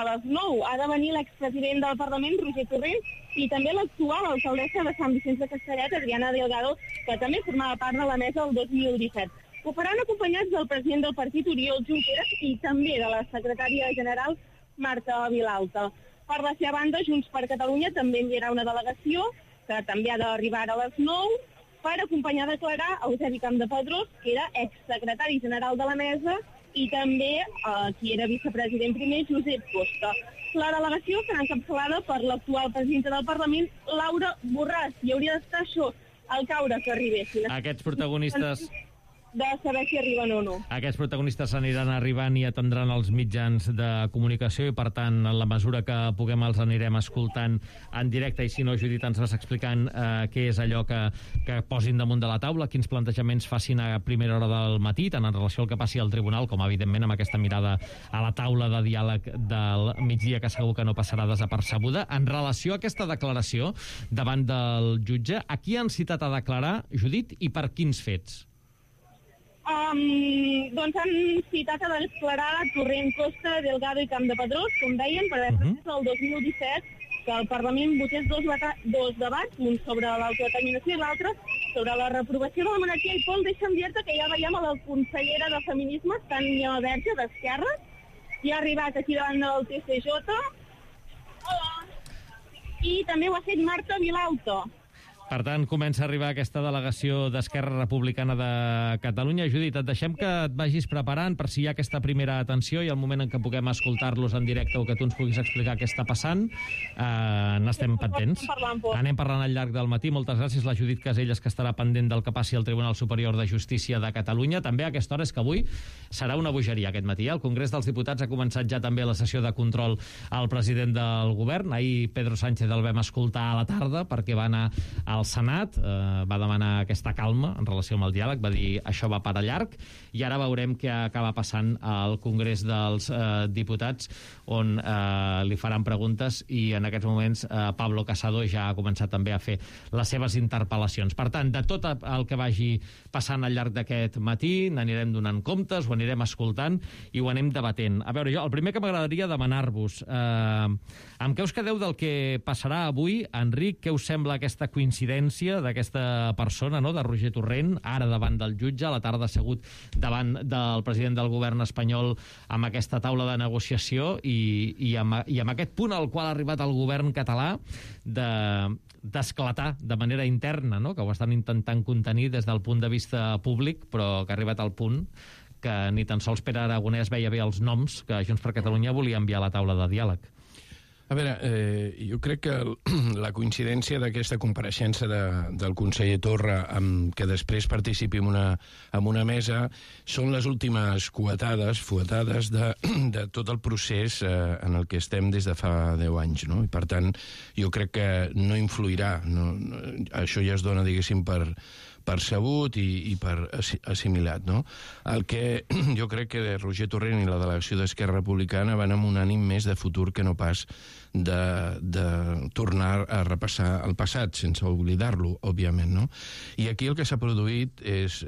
a les 9 ha de venir l'expresident del Parlament, Roger Torrent, i també l'actual alcaldessa de Sant Vicenç de Castellet, Adriana Delgado, que també formava part de la mesa el 2017. Ho faran acompanyats del president del partit, Oriol Junqueras, i també de la secretària general, Marta Vilalta. Per la seva banda, Junts per Catalunya també enviarà una delegació, que també ha d'arribar a les 9, per acompanyar a declarar Eusebi Campdepadrós, que era exsecretari general de la mesa, i també qui era vicepresident primer, Josep Costa. La delegació serà encapçalada per l'actual presidenta del Parlament, Laura Borràs, i hauria d'estar això, al caure que arribessin. Aquests protagonistes... de saber si arriben o no. Aquests protagonistes aniran arribant i atendran els mitjans de comunicació i, per tant, en la mesura que puguem els anirem escoltant en directe, i si no, Judit, ens vas explicant què és allò que posin damunt de la taula, quins plantejaments facin a primera hora del matí, tant en relació al que passi al tribunal, com evidentment amb aquesta mirada a la taula de diàleg del migdia, que segur que no passarà desapercebuda. En relació a aquesta declaració davant del jutge, a qui han citat a declarar, Judit, i per quins fets? Doncs han citat a declarar Torrent, Costa, Delgado i Campdepadrós, com deien, per haver permès el 2017 que el Parlament votés dos debats, un sobre l'autodeterminació i l'altre sobre la reprovació de la monarquia. I Pol, deixa'm dir-te que ja veiem a la consellera de Feminismes, Tània Verge, d'Esquerra, i ha arribat aquí davant del TCJ. Hola! I també ho ha fet Marta Vilalta. Per tant, comença a arribar aquesta delegació d'Esquerra Republicana de Catalunya. Judit, et deixem que et vagis preparant per si hi ha aquesta primera atenció i el moment en què puguem escoltar-los en directe o que tu ens puguis explicar què està passant, n'estem pendents. Anem parlant al llarg del matí. Moltes gràcies, la Judit Caselles, que estarà pendent del que passi al Tribunal Superior de Justícia de Catalunya. També a aquesta hora, és que avui serà una bogeria aquest matí. El Congrés dels Diputats ha començat ja també la sessió de control al president del govern. Ahir Pedro Sánchez el vam escoltar a la tarda perquè va anar al Senat, va demanar aquesta calma en relació amb el diàleg, va dir això va per a llarg, i ara veurem què acaba passant al Congrés dels Diputats, on li faran preguntes, i en aquests moments Pablo Casado ja ha començat també a fer les seves interpel·lacions. Per tant, de tot el que vagi passant al llarg d'aquest matí n'anirem donant comptes, ho anirem escoltant i ho anem debatent. A veure, jo el primer que m'agradaria demanar-vos, amb què us quedeu del que passarà avui? Enric, què us sembla aquesta coincidència d'aquesta persona, no?, de Roger Torrent, ara davant del jutge, a la tarda assegut davant del president del govern espanyol amb aquesta taula de negociació i amb aquest punt al qual ha arribat el govern català d'esclatar de manera interna, no?, que ho estan intentant contenir des del punt de vista públic, però que ha arribat al punt que ni tan sols Pere Aragonès veia bé els noms que Junts per Catalunya volia enviar a la taula de diàleg. A veure, jo crec que la coincidència d'aquesta compareixença del conseller Torra amb que després participi en una mesa són les últimes fuetades de tot el procés en el que estem des de fa 10 anys, no? I per tant, jo crec que no influirà, això ja es dona, diguéssim, per sabut i per assimilat, no? El que jo crec que Roger Torrent i la delegació d'Esquerra Republicana van amb un ànim més de futur que no pas de tornar a repassar el passat, sense oblidar-lo, òbviament, no? I aquí el que s'ha produït és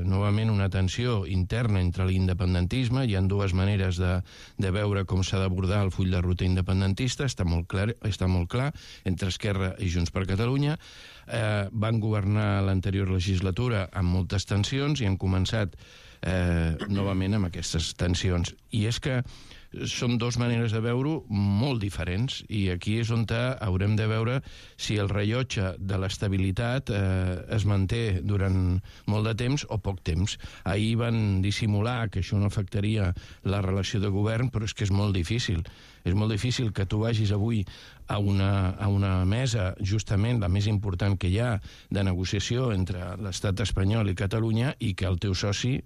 novament una tensió interna entre l'independentisme. Hi ha dues maneres de veure com s'ha d'abordar el full de ruta independentista, està molt clar, entre Esquerra i Junts per Catalunya. Van governar l'anterior legislatura amb moltes tensions i han començat novament amb aquestes tensions. I és que són dues maneres de veure-ho molt diferents, i aquí és on haurem de veure si el rellotge de l'estabilitat es manté durant molt de temps o poc temps. Ahir van dissimular que això no afectaria la relació de govern, però és que és molt difícil. És molt difícil que tu vagis avui a una mesa, justament la més important que hi ha, de negociació entre l'estat espanyol i Catalunya, i que el teu soci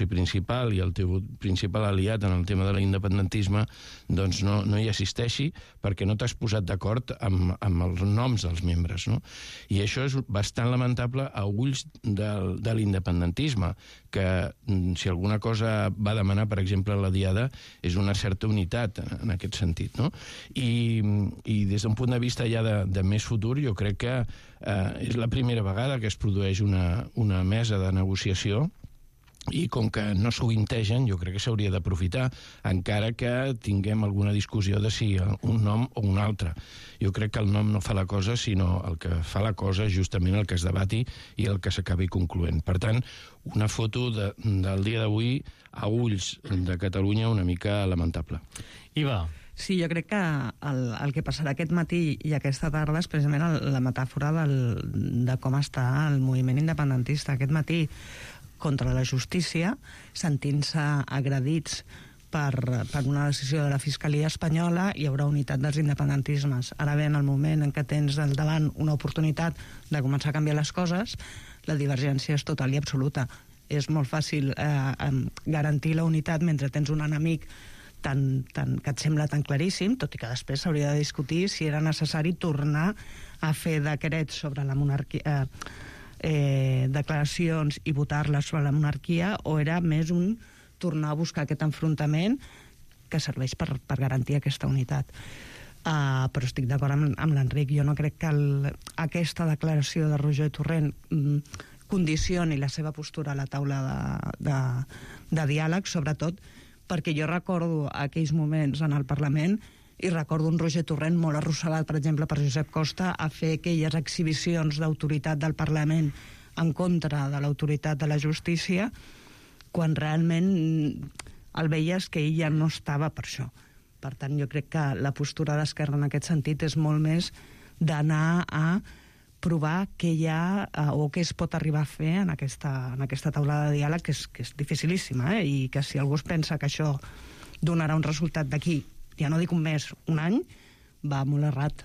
principal i el teu principal aliat en el tema de l'independentisme doncs no hi assisteixi, perquè no t'has posat d'acord amb els noms dels membres, no? I això és bastant lamentable a ulls de l'independentisme, que si alguna cosa va demanar, per exemple, la Diada, és una certa unitat en aquest sentit, no? I des d'un punt de vista ja de més futur, jo crec que és la primera vegada que es produeix una mesa de negociació i com que no sovintegen, jo crec que s'hauria d'aprofitar, encara que tinguem alguna discussió de si un nom o un altre. Jo crec que el nom no fa la cosa, sinó el que fa la cosa és justament el que es debati i el que s'acabi concloent. Per tant, una foto del dia d'avui a ulls de Catalunya una mica lamentable. Iva. Sí, jo crec que el que passarà aquest matí i aquesta tarda és precisament la metàfora de com està el moviment independentista. Aquest matí, contra la justícia, sentint-se agredits per una decisió de la Fiscalia espanyola, hi haurà unitat dels independentismes. Ara bé, en el moment en què tens al davant una oportunitat de començar a canviar les coses, la divergència és total i absoluta. És molt fàcil garantir la unitat mentre tens un enemic que et sembla tan claríssim, tot i que després s'hauria de discutir si era necessari tornar a fer decrets sobre la monarquia, declaracions i votar-les sobre la monarquia, o era més un tornar a buscar aquest enfrontament que serveix per garantir aquesta unitat. Però estic d'acord amb l'Enric. Jo no crec que aquesta declaració de Roger Torrent condicioni la seva postura a la taula de diàleg, sobretot perquè jo recordo aquells moments en el Parlament i recordo un Roger Torrent molt arrossegat, per exemple, per Josep Costa, a fer aquelles exhibicions d'autoritat del Parlament en contra de l'autoritat de la justícia, quan realment el veies que ell ja no estava per això. Per tant, jo crec que la postura d'Esquerra en aquest sentit és molt més d'anar a provar què hi ha o què es pot arribar a fer en aquesta taula de diàleg, que és dificilíssima, i que si algú es pensa que això donarà un resultat d'aquí, ja no dic un mes, un any, va molt errat.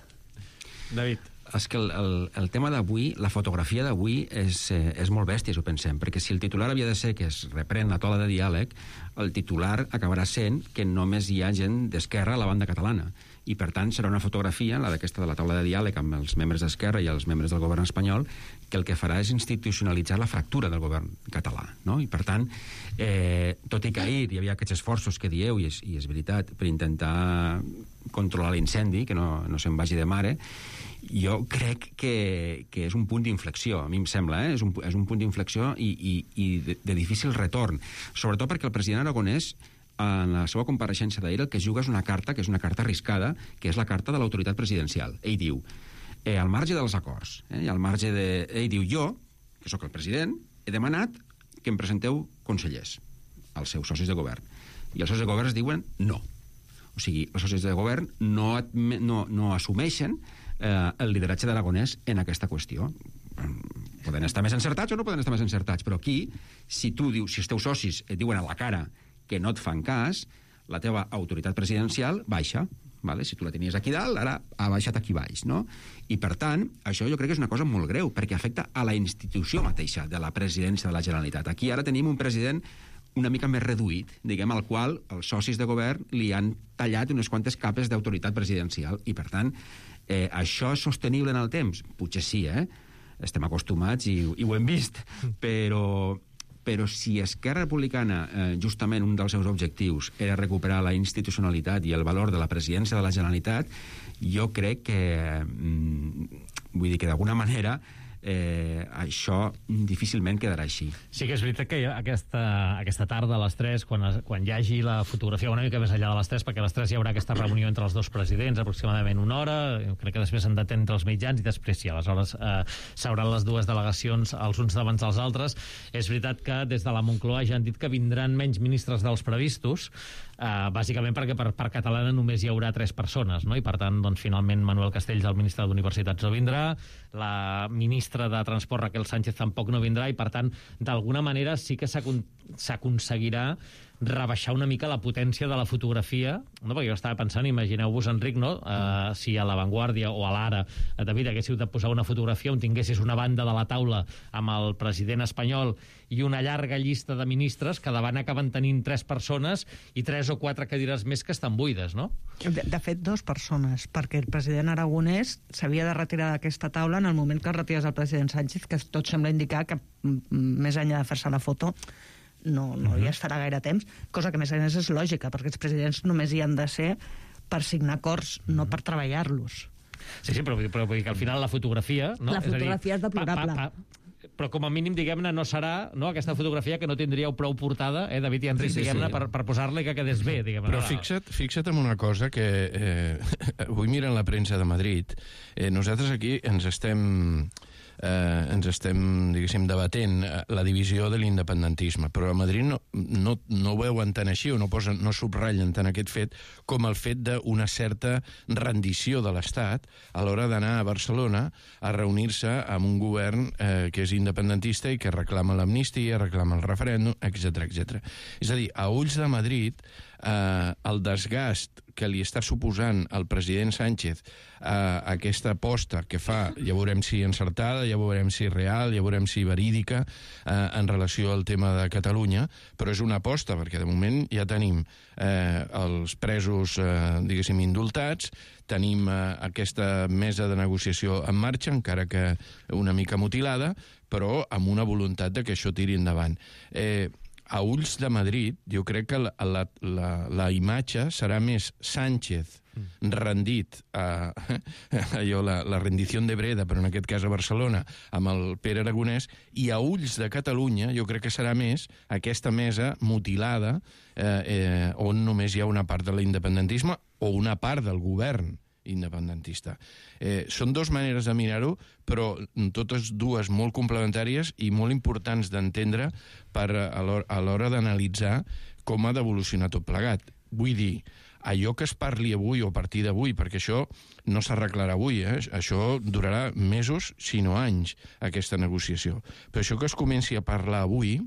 David. És que el tema d'avui, la fotografia d'avui és molt bèstia, si ho pensem, perquè si el titular havia de ser que es reprèn la taula de diàleg, el titular acabarà sent que només hi ha gent d'Esquerra a la banda catalana. I, per tant, serà una fotografia, la d'aquesta de la taula de diàleg amb els membres d'Esquerra i els membres del govern espanyol, que el que farà és institucionalitzar la fractura del govern català, no? I, per tant, tot i que ahir hi havia aquests esforços que dieu, i és veritat, per intentar controlar l'incendi, que no se'n vagi de mare, jo crec que és un punt d'inflexió, a mi em sembla, és un punt d'inflexió i de difícil retorn, sobretot perquè el president Aragonès, en la seva compareixença d'ahir, el que es juga és una carta, que és una carta arriscada, que és la carta de l'autoritat presidencial. Ell diu, al marge dels acords, al marge de... Ell diu, jo, que sóc el president, he demanat que em presenteu consellers als seus socis de govern. I els socis de govern es diuen no. O sigui, els socis de govern no assumeixen el lideratge d'Aragonès en aquesta qüestió. Poden estar més encertats o no poden estar més encertats, però aquí, si els teus socis et diuen a la cara que no et fan cas, la teva autoritat presidencial baixa. Vale? Si tu la tenies aquí dalt, ara ha baixat aquí baix, no? I, per tant, això jo crec que és una cosa molt greu, perquè afecta a la institució mateixa de la presidència de la Generalitat. Aquí ara tenim un president una mica més reduït, diguem, al qual els socis de govern li han tallat unes quantes capes d'autoritat presidencial. I, per tant, això és sostenible en el temps? Potser sí, estem acostumats i ho hem vist, però si Esquerra Republicana, justament un dels seus objectius era recuperar la institucionalitat i el valor de la presidència de la Generalitat, jo crec que, vull dir que d'alguna manera, això difícilment quedarà així. Sí que és veritat que aquesta tarda a les 3, quan hi hagi la fotografia una mica més enllà de les 3, perquè a les 3 hi haurà aquesta reunió entre els dos presidents, aproximadament una hora, crec que després han d'atendre els mitjans i després sí, aleshores s'hauran les dues delegacions els uns davant dels altres. És veritat que des de la Moncloa ja han dit que vindran menys ministres dels previstos, bàsicament perquè per Catalana només hi haurà 3 persones, no? I per tant, doncs, finalment Manuel Castells, el ministre d'Universitats, no vindrà, la ministra de Transport, Raquel Sánchez, tampoc no vindrà, i per tant, d'alguna manera sí que s'aconseguirà rebaixar una mica la potència de la fotografia, no? Perquè jo estava pensant, imagineu-vos, Enric, no? Si a La Vanguardia o a l'Ara, David, haguéssiu de posar una fotografia on tinguessis una banda de la taula amb el president espanyol i una llarga llista de ministres, que davant acaben tenint 3 persones i 3 o 4 cadires més que estan buides, no? De fet, 2 persones, perquè el president Aragonès s'havia de retirar d'aquesta taula en el moment que es retirés el president Sánchez, que tot sembla indicar que, més enllà de fer-se la foto, no hi estarà gaire temps, cosa que més a més és lògica, perquè els presidents només hi han de ser per signar acords, no per treballar-los. Sí, però vull dir que al final la fotografia... No? La fotografia és deplorable. però com a mínim, diguem-ne, no serà aquesta fotografia que no tindríeu prou portada, David i Enric, diguem-ne, per posar-la i que quedés bé, diguem-ne. Però fixa't en una cosa que avui mirant la premsa de Madrid, nosaltres aquí ens estem, diguéssim, debatent la divisió de l'independentisme, però a Madrid no ho veuen tant així, o no subratllen tant aquest fet com el fet d'una certa rendició de l'Estat a l'hora d'anar a Barcelona a reunir-se amb un govern que és independentista i que reclama l'amnistia, reclama el referèndum, etc etc. És a dir, a ulls de Madrid, el desgast que li està suposant al president Sánchez aquesta aposta que fa, ja veurem si encertada, ja veurem si real, ja veurem si verídica en relació al tema de Catalunya, però és una aposta, perquè de moment ja tenim els presos, diguéssim, indultats, tenim aquesta mesa de negociació en marxa, encara que una mica mutilada, però amb una voluntat de que això tiri endavant. A ulls de Madrid, jo crec que la imatge serà més Sánchez rendit a la rendició de Breda, però en aquest cas a Barcelona, amb el Pere Aragonès, i a ulls de Catalunya jo crec que serà més aquesta mesa mutilada on només hi ha una part de l'independentisme o una part del govern independentista. Són dues maneres de mirar-ho, però totes dues molt complementàries i molt importants d'entendre a l'hora d'analitzar com ha d'evolucionar tot plegat. Vull dir, allò que es parli avui o a partir d'avui, perquè això no s'arreglarà avui, això durarà mesos, si no anys, aquesta negociació. Però això que es comenci a parlar avui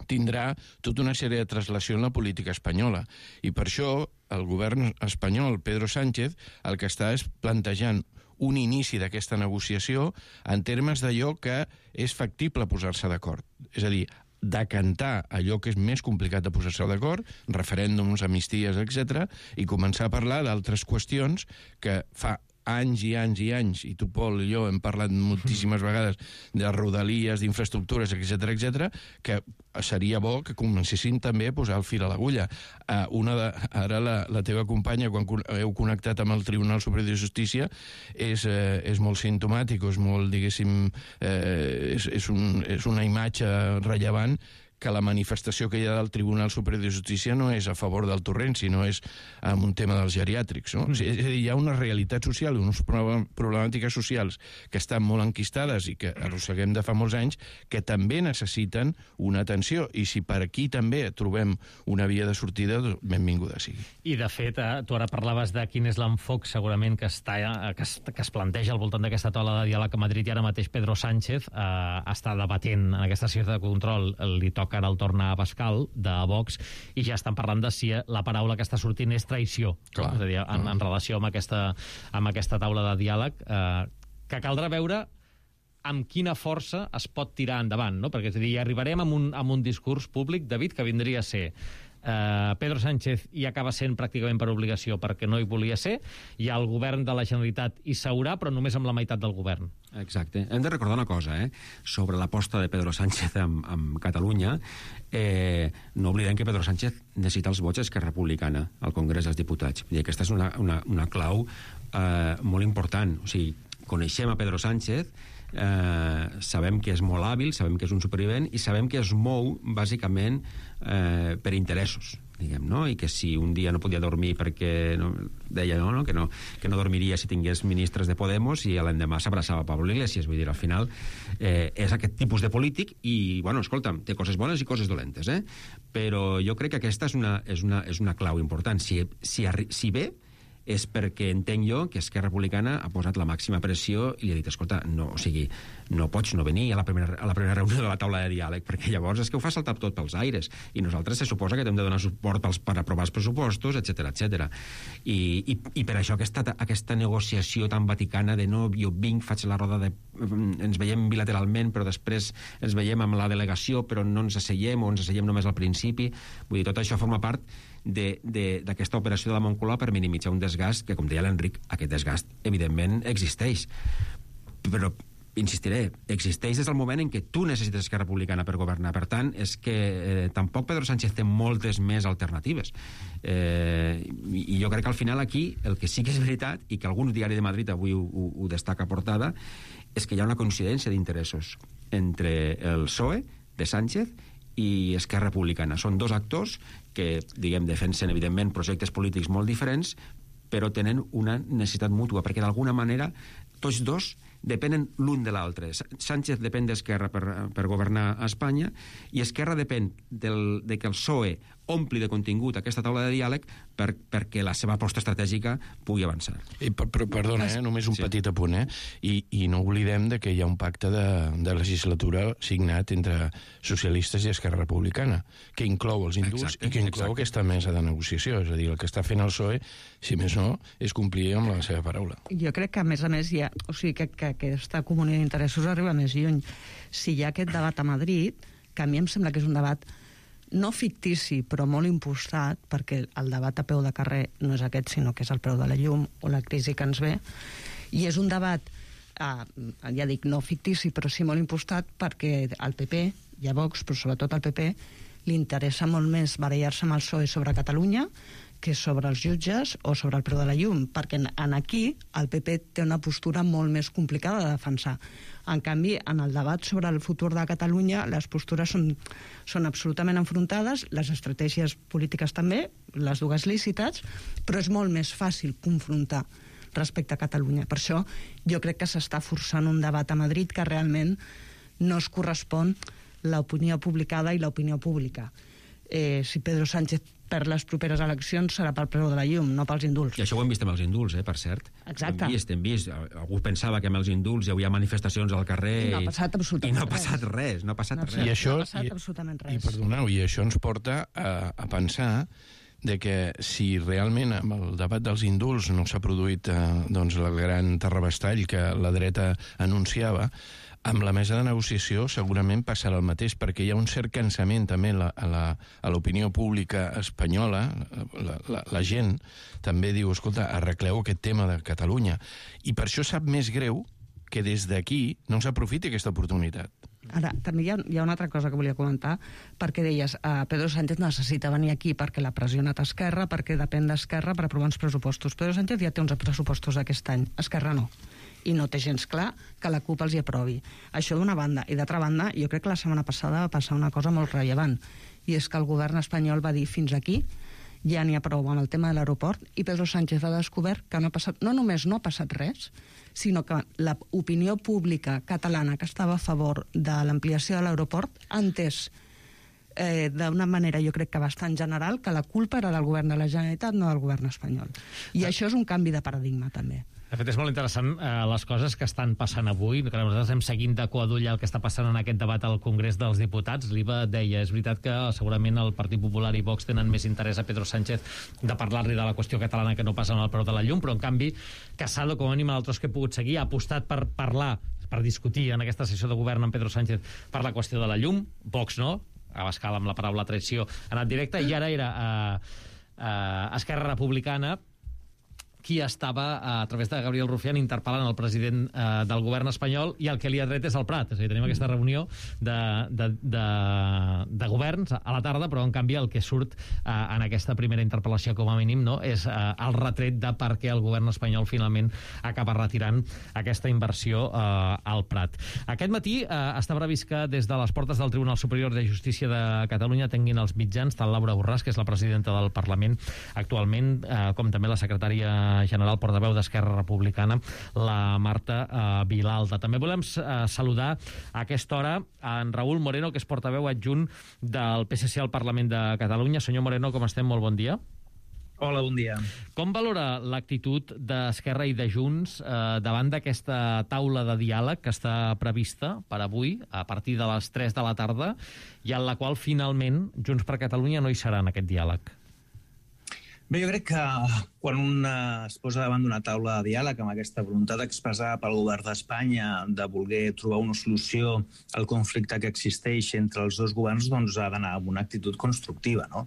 tindrà tota una sèrie de translació en la política espanyola. I per això el govern espanyol, Pedro Sánchez, el que està és plantejant un inici d'aquesta negociació en termes d'allò que és factible posar-se d'acord. És a dir, decantar allò que és més complicat de posar-se d'acord, referèndums, amnisties, etc., i començar a parlar d'altres qüestions que fa anys i anys i anys, i tu, Pol, i jo hem parlat moltíssimes vegades de rodalies, d'infraestructures, etc., que seria bo que comencessin també a posar el fil a l'agulla. Ara la teva companya, quan heu connectat amb el Tribunal Superior de Justícia, és molt simptomàtic, és molt, diguéssim, és una imatge rellevant que la manifestació que hi ha del Tribunal Superior de Justícia no és a favor del torrent, sinó és amb un tema dels geriàtrics. No? És a dir, hi ha una realitat social, unes problemàtiques socials que estan molt enquistades i que arrosseguem de fa molts anys, que també necessiten una atenció. I si per aquí també trobem una via de sortida, benvinguda sigui. I, de fet, tu ara parlaves de quin és l'enfoc segurament que es planteja al voltant d'aquesta taula de diàleg a Madrid, i ara mateix Pedro Sánchez està debatent en aquesta sessió de control, li toca ara el torn a Pascal, de Vox, i ja estan parlant de si la paraula que està sortint és traïció. Clar, és a dir, en relació amb aquesta taula de diàleg, que caldrà veure amb quina força es pot tirar endavant, no? Perquè, és a dir, hi arribarem amb un discurs públic, David, que vindria a ser Pedro Sánchez hi acaba sent pràcticament per obligació perquè no hi volia ser, i el govern de la Generalitat hi seurà, però només amb la meitat del govern. Exacte. Hem de recordar una cosa, sobre l'aposta de Pedro Sánchez amb Catalunya. No oblidem que Pedro Sánchez necessita els vots d'Esquerra Republicana al Congrés dels Diputats. I aquesta és una clau molt important. O sigui, coneixem a Pedro Sánchez, sabem que és molt hàbil, sabem que és un supervivent i sabem que es mou bàsicament per interessos, diguem, no? I que si un dia no podia dormir perquè deia que no dormiria si tingués ministres de Podemos, i l'endemà s'abraçava Pablo Iglesias. Vull dir, al final és aquest tipus de polític i, bueno, escolta'm, té coses bones i coses dolentes, però jo crec que aquesta és una clau important. Si ve és perquè entenc jo que Esquerra Republicana ha posat la màxima pressió i li ha dit, escolta, no pots no venir a la primera reunió de la taula de diàleg, perquè llavors és que ho fa saltar tot pels aires, i nosaltres se suposa que hem de donar suport per aprovar els pressupostos, etc. I per això aquesta negociació tan vaticana de no, jo vinc, faig la roda ens veiem bilateralment, però després ens veiem amb la delegació, però no ens asseiem, o ens asseiem només al principi. Vull dir, tot això forma part d'aquesta operació de la Moncloa per minimitzar un desgast que, com deia l'Enric, aquest desgast evidentment existeix, però insistiré, existeix des del moment en què tu necessites Esquerra Republicana per governar. Per tant, és que tampoc Pedro Sánchez té moltes més alternatives, i jo crec que al final aquí el que sí que és veritat, i que algun diari de Madrid avui ho destaca a portada, és que hi ha una coincidència d'interessos. entre el PSOE de Sánchez i Esquerra Republicana. Són dos actors que, diguem, defensen, evidentment, projectes polítics molt diferents, però tenen una necessitat mútua, perquè d'alguna manera tots dos depenen l'un de l'altre. Sánchez depèn d'Esquerra per governar a Espanya i Esquerra depèn de que el PSOE ompli de contingut aquesta taula de diàleg perquè la seva aposta estratègica pugui avançar. Perdona, només un petit apunt, i no oblidem de que hi ha un pacte de legislatura signat entre socialistes i Esquerra Republicana, que inclou els indults i que inclou aquesta mesa de negociació. És a dir, el que està fent el PSOE, si més no, és complir amb la seva paraula. Jo crec que, a més, o sigui, que aquesta comunitat d'interessos arriba més lluny. Si hi ha aquest debat a Madrid, que a mi em sembla que és un debat no fictici, però molt impostat, perquè el debat a peu de carrer no és aquest, sinó que és el preu de la llum o la crisi que ens ve, i és un debat, ja dic, no fictici, però sí molt impostat, perquè al PP, i a Vox, però sobretot al PP, li interessa molt més barallar-se amb el PSOE sobre Catalunya que sobre els jutges o sobre el preu de la llum, perquè aquí el PP té una postura molt més complicada de defensar. En canvi, en el debat sobre el futur de Catalunya, les postures són absolutament enfrontades, les estratègies polítiques també, les dues lícites, però és molt més fàcil confrontar respecte a Catalunya. Per això jo crec que s'està forçant un debat a Madrid que realment no es correspon l'opinió publicada i l'opinió pública. Si Pedro Sánchez per les properes eleccions serà pel preu de la llum, no pels indults. I això ho hem vist amb els indults, per cert. Exacte. Hem vist. Algú pensava que amb els indults hi havia manifestacions al carrer i no ha passat absolutament res. No ha passat res. I això, no ha passat absolutament res. I perdoneu, i això ens porta a pensar de que si realment amb el debat dels indults no s'ha produït doncs el gran terrabastall que la dreta anunciava, amb la mesa de negociació segurament passarà el mateix, perquè hi ha un cert cansament també a l'opinió pública espanyola. La gent també diu, escolta, arregleu aquest tema de Catalunya. I per això sap més greu que des d'aquí no s'aprofiti aquesta oportunitat. Ara, també hi ha una altra cosa que volia comentar, perquè deies, Pedro Sánchez necessita venir aquí perquè l'ha pressionat Esquerra, perquè depèn d'Esquerra per aprovar uns pressupostos. Pedro Sánchez ja té uns pressupostos aquest any, Esquerra no. I no té gens clar que la CUP els hi aprovi. Això d'una banda. I d'altra banda, jo crec que la setmana passada va passar una cosa molt rellevant, i és que el govern espanyol va dir fins aquí, ja n'hi ha prou amb el tema de l'aeroport, i Pedro Sánchez ha descobert que no només no ha passat res, sinó que l'opinió pública catalana que estava a favor de l'ampliació de l'aeroport ha entès d'una manera, jo crec que bastant general, que la culpa era del govern de la Generalitat, no del govern espanyol. I això és un canvi de paradigma, també. De fet, és molt interessant les coses que estan passant avui, que nosaltres estem seguint de cua d'ull el que està passant en aquest debat al Congrés dels Diputats. L'Iva deia, és veritat que segurament el Partit Popular i Vox tenen més interès a Pedro Sánchez de parlar-li de la qüestió catalana que no passa en el preu de la llum, però en canvi Casado, com a mínim altres que he pogut seguir, ha apostat per parlar, per discutir en aquesta sessió de govern amb Pedro Sánchez per la qüestió de la llum. Vox no, Abascal amb la paraula traïció ha anat directe, i ara era Esquerra Republicana qui estava, a través de Gabriel Rufián, interpel·lant el president del govern espanyol, i el que li ha tret és el Prat. És a dir, tenim aquesta reunió de governs a la tarda, però en canvi el que surt en aquesta primera interpel·lació, com a mínim, no, és el retret de per què el govern espanyol finalment acaba retirant aquesta inversió al Prat. Aquest matí està previst que des de les portes del Tribunal Superior de Justícia de Catalunya tinguin els mitjans tant Laura Borràs, que és la presidenta del Parlament actualment, com també la secretària general portaveu d'Esquerra Republicana, la Marta Vilalta. També volem saludar a aquesta hora en Raúl Moreno, que és portaveu adjunt del PSC al Parlament de Catalunya. Senyor Moreno, com estem? Molt bon dia. Hola, bon dia. Com valora l'actitud d'Esquerra i de Junts davant d'aquesta taula de diàleg que està prevista per avui, a partir de les 3 de la tarda, i en la qual finalment Junts per Catalunya no hi serà en aquest diàleg? Bé, jo crec que quan un es posa davant d'una taula de diàleg amb aquesta voluntat expressada pel govern d'Espanya de voler trobar una solució al conflicte que existeix entre els dos governs, doncs ha d'anar amb una actitud constructiva, no?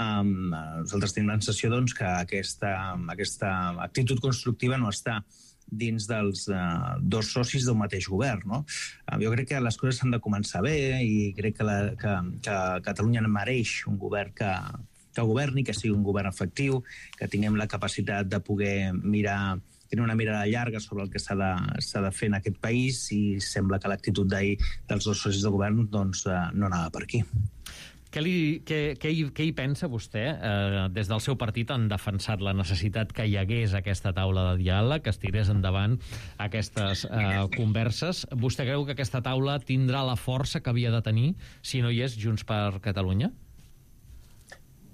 Nosaltres tenim la sensació doncs, que aquesta actitud constructiva no està dins dels dos socis d'un mateix govern, no? Jo crec que les coses s'han de començar bé i crec que Catalunya mereix un govern que governi, que sigui un govern efectiu, que tinguem la capacitat de poder mirar tenir una mirada llarga sobre el que s'ha de fer en aquest país, i sembla que l'actitud d'ahir dels dos socis de govern doncs, no anava per aquí. Què hi pensa vostè? Des del seu partit han defensat la necessitat que hi hagués aquesta taula de diàleg, que es tirés endavant aquestes converses. Vostè creu que aquesta taula tindrà la força que havia de tenir si no hi és Junts per Catalunya?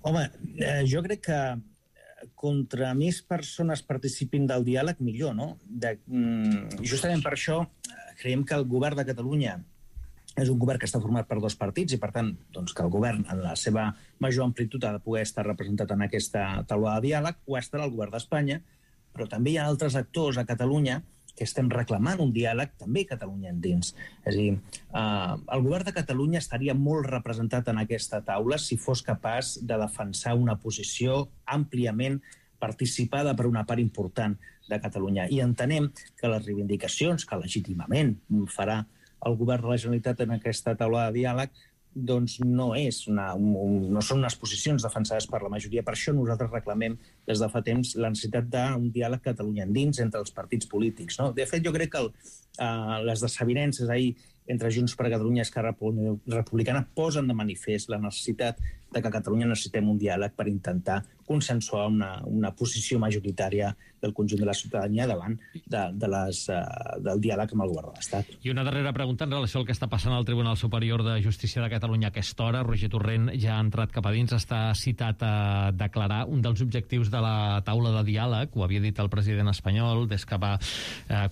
Home, jo crec que contra més persones participin del diàleg, millor, no? Justament per això creiem que el govern de Catalunya és un govern que està format per dos partits, i per tant doncs, que el govern en la seva major amplitud ha de poder estar representat en aquesta taula de diàleg. Ho estarà el govern d'Espanya, però també hi ha altres actors a Catalunya que estem reclamant un diàleg, també Catalunya endins. És a dir, el govern de Catalunya estaria molt representat en aquesta taula si fos capaç de defensar una posició àmpliament participada per una part important de Catalunya. I entenem que les reivindicacions que legítimament farà el govern de la Generalitat en aquesta taula de diàleg doncs no són unes posicions defensades per la majoria. Per això nosaltres reclamem des de fa temps la necessitat d'un diàleg Catalunya endins entre els partits polítics. No? De fet, jo crec que les desavinences ahir entre Junts per Catalunya i Esquerra Republicana posen de manifest la necessitat de que a Catalunya necessitem un diàleg per intentar consensuar una posició majoritària del conjunt de la ciutadania davant del diàleg amb el govern de l'Estat. I una darrera pregunta en relació al que està passant al Tribunal Superior de Justícia de Catalunya a aquesta hora. Roger Torrent ja ha entrat cap a dins, està citat a declarar. Un dels objectius de la taula de diàleg, ho havia dit el president espanyol des que va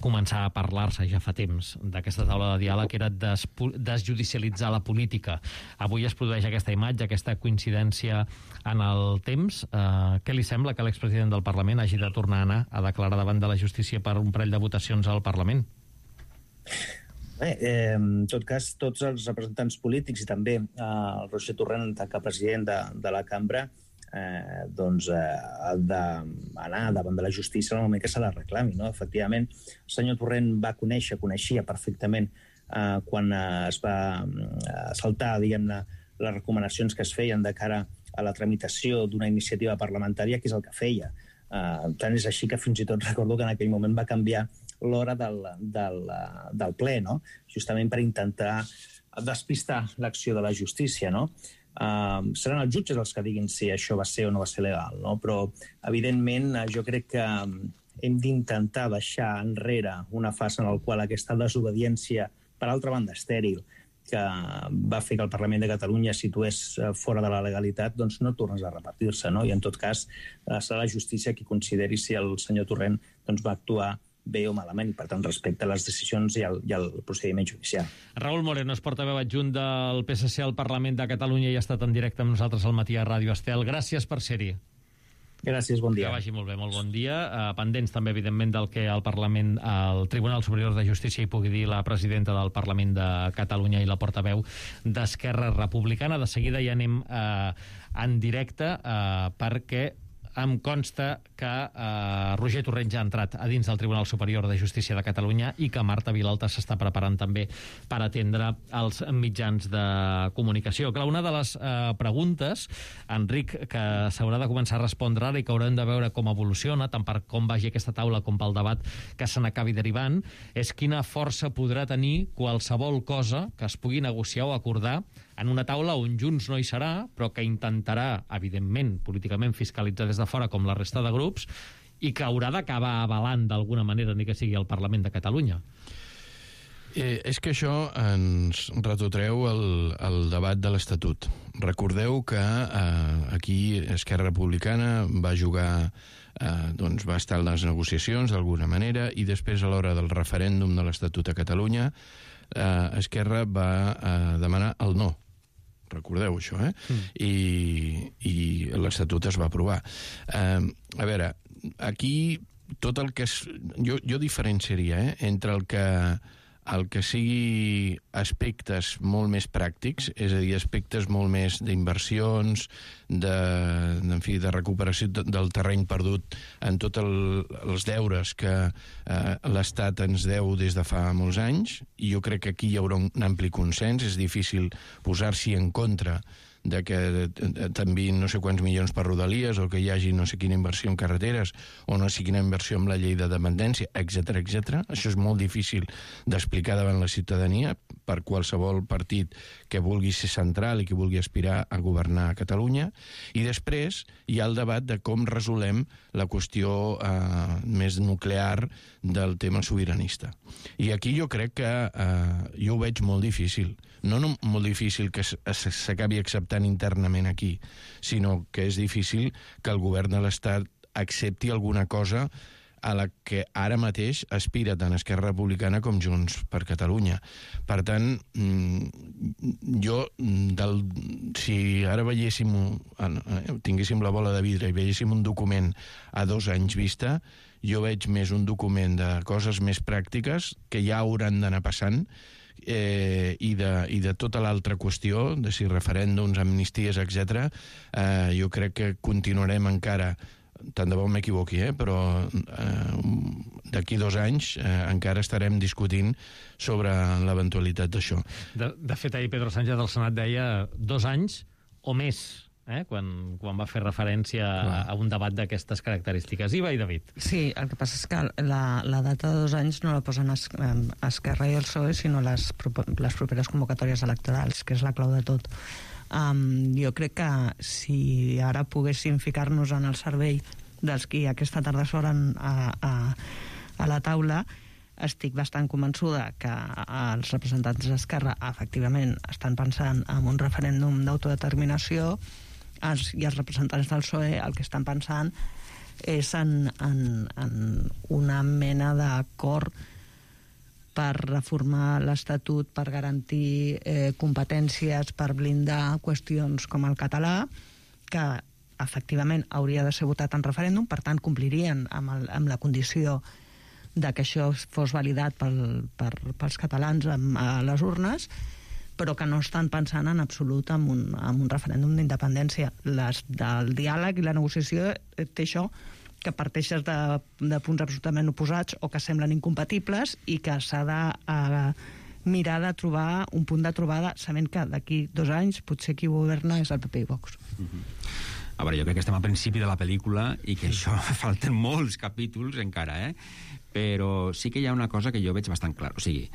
començar a parlar-se ja fa temps d'aquesta taula de diàleg, era desjudicialitzar la política. Avui es produeix aquesta imatge, aquesta coincidència en el temps. Què li sembla que l'expresident del Parlament hagi de tornar a anar a declarar davant de la justícia per un parell de votacions al Parlament? Bé, en tot cas, tots els representants polítics i també el Roger Torrent, en tant que president de la cambra, doncs ha d'anar davant de la justícia en el moment que se la reclami. No? Efectivament, el senyor Torrent coneixia perfectament quan es va saltar, diguem-ne, les recomanacions que es feien de cara a la tramitació d'una iniciativa parlamentària, que és el que feia. Tant és així que fins i tot recordo que en aquell moment va canviar l'hora del ple, no? Justament per intentar despistar l'acció de la justícia. No? Seran els jutges els que diguin si això va ser o no va ser legal, no? Però evidentment jo crec que hem d'intentar deixar enrere una fase en la qual aquesta desobediència, per altra banda estèril, que va fer que el Parlament de Catalunya es situés fora de la legalitat, doncs no tornes a repetir-se, no? I en tot cas serà la justícia qui consideri si el senyor Torrent doncs, va actuar bé o malament, i per tant respecta les decisions i el procediment judicial. Raül Moreno és portaveu adjunt del PSC al Parlament de Catalunya i ha estat en directe amb nosaltres al matí a Ràdio Estel. Gràcies per ser-hi. Gràcies, bon dia. Que vagi molt bé, molt bon dia. Pendents també, evidentment, del que el Tribunal Superior de Justícia hi pugui dir la presidenta del Parlament de Catalunya i la portaveu d'Esquerra Republicana. De seguida ja anem en directe perquè em consta que Roger Torrent ja ha entrat a dins del Tribunal Superior de Justícia de Catalunya i que Marta Vilalta s'està preparant també per atendre els mitjans de comunicació. Clar, una de les preguntes, Enric, que s'haurà de començar a respondre ara i que haurem de veure com evoluciona, tant per com vagi aquesta taula com pel debat que se n'acabi derivant, és quina força podrà tenir qualsevol cosa que es pugui negociar o acordar en una taula on Junts no hi serà, però que intentarà, evidentment, políticament fiscalitzar des de fora com la resta de grups, i que haurà d'acabar avalant d'alguna manera, ni que sigui el Parlament de Catalunya. És que això ens retrotreu el debat de l'Estatut. Recordeu que aquí Esquerra Republicana va jugar, doncs va estar en les negociacions d'alguna manera, i després a l'hora del referèndum de l'Estatut a Catalunya Esquerra va demanar el no. Recordeu això, I l'Estatut es va aprovar. A veure, aquí tot el que és... Jo diferenciaria entre el que sigui aspectes molt més pràctics, és a dir, aspectes molt més d'inversions, de recuperació del terreny perdut en tots els deures que l'Estat ens deu des de fa molts anys, i jo crec que aquí hi haurà un ampli consens. És difícil posar-s'hi en contra de que t'enviïn no sé quants milions per Rodalies, o que hi hagi no sé quina inversió en carreteres, o no sé quina inversió amb la llei de dependència, etc etc. Això és molt difícil d'explicar davant la ciutadania per qualsevol partit que vulgui ser central i que vulgui aspirar a governar Catalunya. I després hi ha el debat de com resolem la qüestió més nuclear del tema sobiranista. I aquí jo crec que jo ho veig molt difícil. No molt difícil que s'acabi acceptant internament aquí, sinó que és difícil que el govern de l'Estat accepti alguna cosa a la que ara mateix aspira tant Esquerra Republicana com Junts per Catalunya. Per tant, si ara tinguéssim la bola de vidre i veiéssim un document a 2 anys vista, jo veig més un document de coses més pràctiques que ja hauran d'anar passant, i de tota l'altra qüestió, de si referèndums, amnisties, etc. Jo crec que continuarem encara, tant de bo m'equivoqui, però d'aquí 2 anys encara estarem discutint sobre l'eventualitat d'això. De fet, ahir Pedro Sánchez del Senat deia 2 anys o més, quan va fer referència a un debat d'aquestes característiques. Iva i David. Sí, el que passa és que la data de 2 anys no la posen Esquerra i el PSOE, sinó les properes convocatòries electorals, que és la clau de tot. Jo crec que si ara poguéssim ficar-nos en el cervell dels qui aquesta tarda s'oren a la taula, estic bastant convençuda que els representants d'Esquerra efectivament estan pensant en un referèndum d'autodeterminació, i els representants del PSOE el que estan pensant és en una mena d'acord per reformar l'Estatut, per garantir competències, per blindar qüestions com el català, que efectivament hauria de ser votat en referèndum, per tant complirien amb la condició de que això fos validat pels catalans a les urnes, però que no estan pensant en absolut en un referèndum d'independència. El diàleg i la negociació té això, que parteixes de punts absolutament oposats o que semblen incompatibles i que s'ha de mirar de trobar un punt de trobada, sabent que d'aquí 2 anys potser qui governa és el PP i Vox. A veure, jo crec que estem al principi de la pel·lícula i que això falten molts capítols encara, però sí que hi ha una cosa que jo veig bastant clar. O sigui,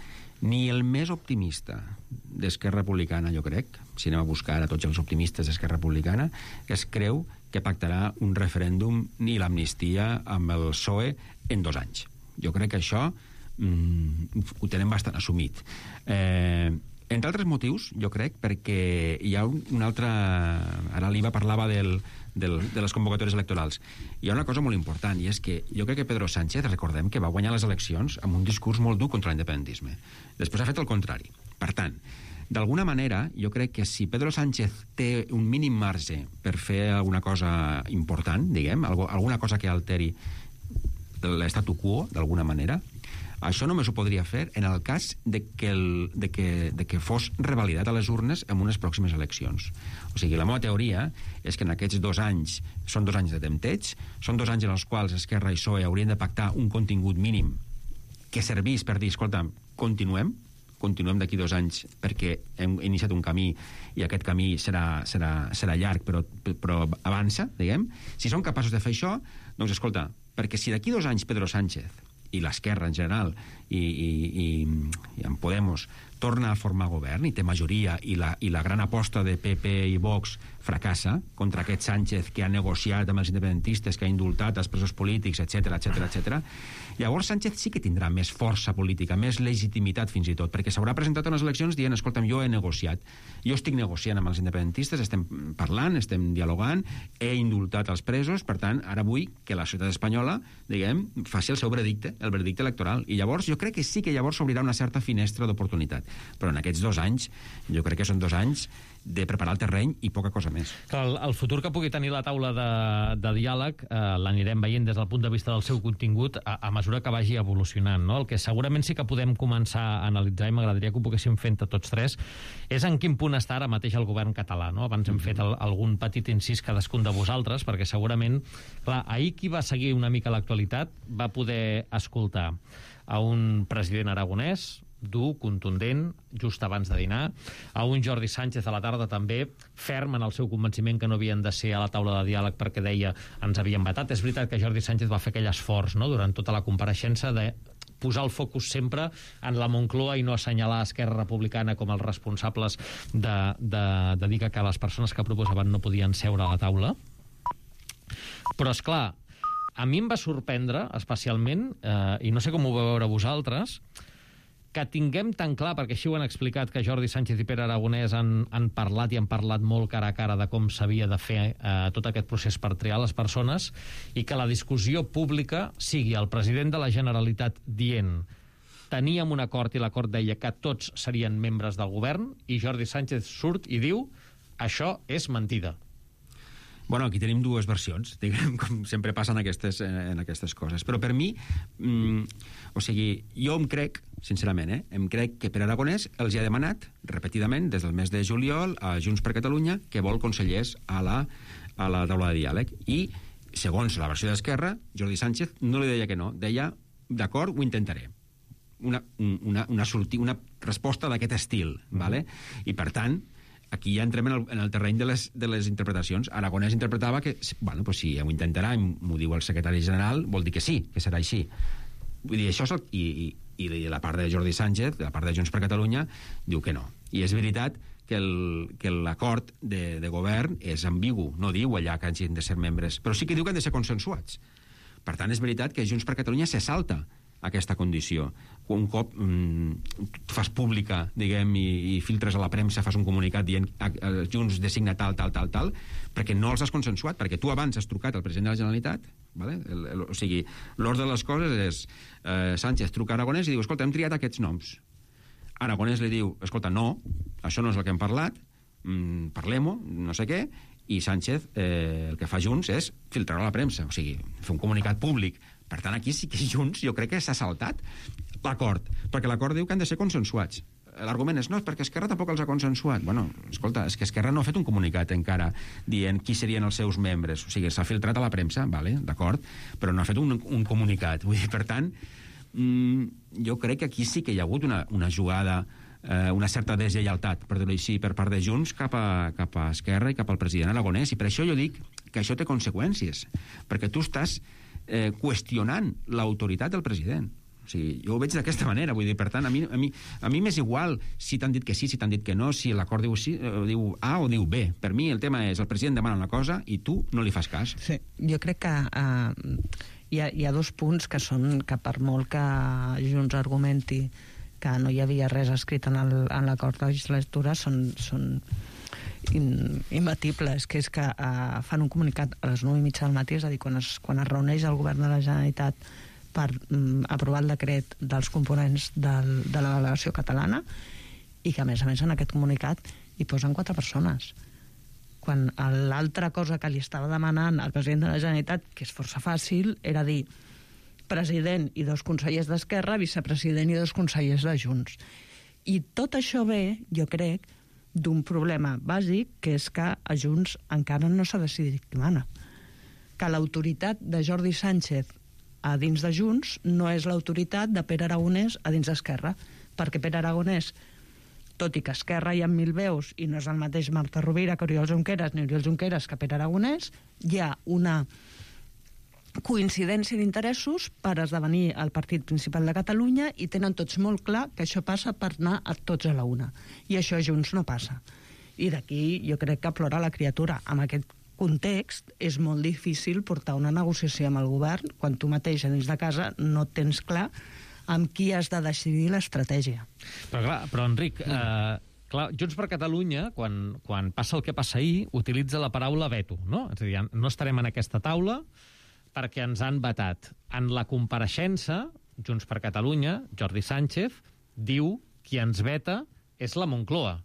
ni el més optimista d'Esquerra Republicana, jo crec, si anem a buscar a tots els optimistes d'Esquerra Republicana, es creu que pactarà un referèndum ni l'amnistia amb el PSOE en 2 anys. Jo crec que això ho tenen bastant assumit. Entre altres motius, jo crec, perquè hi ha un altre... Ara l'Iva parlava de les convocatòries electorals. Hi ha una cosa molt important, i és que jo crec que Pedro Sánchez, recordem que va guanyar les eleccions amb un discurs molt dur contra l'independentisme. Després ha fet el contrari. Per tant, d'alguna manera, jo crec que si Pedro Sánchez té un mínim marge per fer alguna cosa important, diguem, alguna cosa que alteri l'estatu quo, d'alguna manera, això només ho podria fer en el cas de que fos revalidat a les urnes en unes pròximes eleccions. O sigui, la meva teoria és que en aquests 2 anys són 2 anys de tempteig, són 2 anys en els quals Esquerra i PSOE haurien de pactar un contingut mínim que servís per dir, escolta, continuem d'aquí 2 anys perquè hem iniciat un camí i aquest camí serà llarg però avança, diguem. Si som capaços de fer això, doncs escolta, perquè si d'aquí 2 anys Pedro Sánchez i l'Esquerra en general i en Podemos torna a formar govern i té majoria i la gran aposta de PP i Vox fracassa contra aquest Sánchez que ha negociat amb els independentistes, que ha indultat els presos polítics, etc. Llavors Sánchez sí que tindrà més força política, més legitimitat fins i tot, perquè s'haurà presentat a unes eleccions dient, escolta'm, jo he negociat, jo estic negociant amb els independentistes, estem parlant, estem dialogant, he indultat els presos, per tant, ara vull que la societat espanyola, diguem, faci el seu veredicte, el veredicte electoral, i llavors jo crec que sí que llavors s'obrirà una certa finestra d'oportunitat. Però en aquests 2 anys, jo crec que són 2 anys de preparar el terreny i poca cosa més. El futur que pugui tenir la taula de diàleg l'anirem veient des del punt de vista del seu contingut a mesura que vagi evolucionant, no? El que segurament sí que podem començar a analitzar, i m'agradaria que ho poguéssim fer entre tots 3, és en quin punt està ara mateix el govern català, no? Abans hem fet algun petit incís cadascun de vosaltres, perquè segurament, clar, ahir qui va seguir una mica l'actualitat va poder escoltar a un president aragonès dur, contundent, just abans de dinar, a un Jordi Sánchez a la tarda també, ferm en el seu convenciment que no havien de ser a la taula de diàleg perquè deia ens havien vetat. És veritat que Jordi Sánchez va fer aquell esforç, no?, durant tota la compareixença de posar el focus sempre en la Moncloa i no assenyalar Esquerra Republicana com els responsables de dir que les persones que proposaven no podien seure a la taula. Però, és clar, a mi em va sorprendre, especialment, i no sé com ho vau veure vosaltres, que tinguem tan clar, perquè així ho han explicat, que Jordi Sánchez i Pere Aragonès han parlat i han parlat molt cara a cara de com s'havia de fer tot aquest procés per triar les persones, i que la discussió pública sigui el president de la Generalitat dient teníem un acord i l'acord deia que tots serien membres del govern, i Jordi Sánchez surt i diu això és mentida. Bueno, aquí tenim dues versions, diguem, com sempre passen en aquestes coses. Però per mi, o sigui, jo em crec, sincerament, em crec que Pere Aragonès els ha demanat repetidament des del mes de juliol a Junts per Catalunya que vol consellers a la taula de diàleg. I, segons la versió d'Esquerra, Jordi Sánchez no li deia que no, deia, d'acord, ho intentaré. Una resposta d'aquest estil, ¿vale? I, per tant, aquí ja entrem en el terreny de les interpretacions. Aragonès interpretava que, bueno, pues si ho intentarà, m'ho diu el secretari general, vol dir que sí, que serà així. Vull dir, això és i la part de Jordi Sánchez, la part de Junts per Catalunya, diu que no. I és veritat que l'acord de govern és ambigu, no diu allà que hagin de ser membres, però sí que diu que han de ser consensuats. Per tant, és veritat que Junts per Catalunya se salta aquesta condició. Un cop fas pública, diguem, i filtres a la premsa, fas un comunicat dient Junts designa tal, perquè no els has consensuat, perquè tu abans has trucat al president de la Generalitat, ¿vale? O sigui, l'ordre de les coses és Sánchez truca a Aragonès i diu, escolta, hem triat aquests noms. Aragonès li diu, escolta, no, això no és el que hem parlat, parlem-ho, no sé què, i Sánchez el que fa Junts és filtrar a la premsa, o sigui, fer un comunicat públic. Per tant, aquí sí que Junts jo crec que s'ha saltat l'acord, perquè l'acord diu que han de ser consensuats. L'argument és, no, perquè Esquerra tampoc els ha consensuat. Bueno, escolta, és que Esquerra no ha fet un comunicat encara dient qui serien els seus membres. O sigui, s'ha filtrat a la premsa, vale, d'acord, però no ha fet un comunicat. Vull dir, per tant, jo crec que aquí sí que hi ha hagut una jugada, una certa deslleialtat, per dir-ho així, per part de Junts cap a Esquerra i cap al president Aragonès. I per això jo dic que això té conseqüències, perquè tu estàs qüestionant l'autoritat del president. O sigui, jo ho veig d'aquesta manera, vull dir, per tant, a mi m'és igual si t'han dit que sí, si t'han dit que no, si l'acord diu A o diu B. Per mi el tema és el president demana una cosa i tu no li fas cas. Sí, jo crec que hi ha dos punts que són que per molt que Junts argumenti que no hi havia res escrit en l'acord de legislatura són imbatibles, que és que fan un comunicat a les 9:30 del matí, és a dir, quan es reuneix el govern de la Generalitat per aprovar el decret dels components de la delegació catalana, i que a més en aquest comunicat hi posen 4 persones, quan l'altra cosa que li estava demanant al president de la Generalitat, que és força fàcil, era dir president i 2 consellers d'Esquerra, vicepresident i 2 consellers de Junts. I tot això ve, jo crec, d'un problema bàsic, que és que a Junts encara no s'ha decidit qui mana. Que l'autoritat de Jordi Sánchez a dins de Junts no és l'autoritat de Pere Aragonès a dins d'Esquerra, perquè Pere Aragonès, tot i que Esquerra hi ha 1000 veus i no és el mateix Marta Rovira que Oriol Junqueras ni Oriol Junqueras que Pere Aragonès, hi ha una coincidència d'interessos per esdevenir el partit principal de Catalunya i tenen tots molt clar que això passa per anar a tots a la una. I això a Junts no passa. I d'aquí jo crec que plora la criatura. En aquest context és molt difícil portar una negociació amb el govern quan tu mateix a dins de casa no tens clar amb qui has de decidir l'estratègia. Però Enric, Junts per Catalunya, quan passa el que passa ahir, utilitza la paraula veto, no? És a dir, no estarem en aquesta taula perquè ens han vetat. En la compareixença, Junts per Catalunya, Jordi Sánchez, diu qui ens veta és la Moncloa.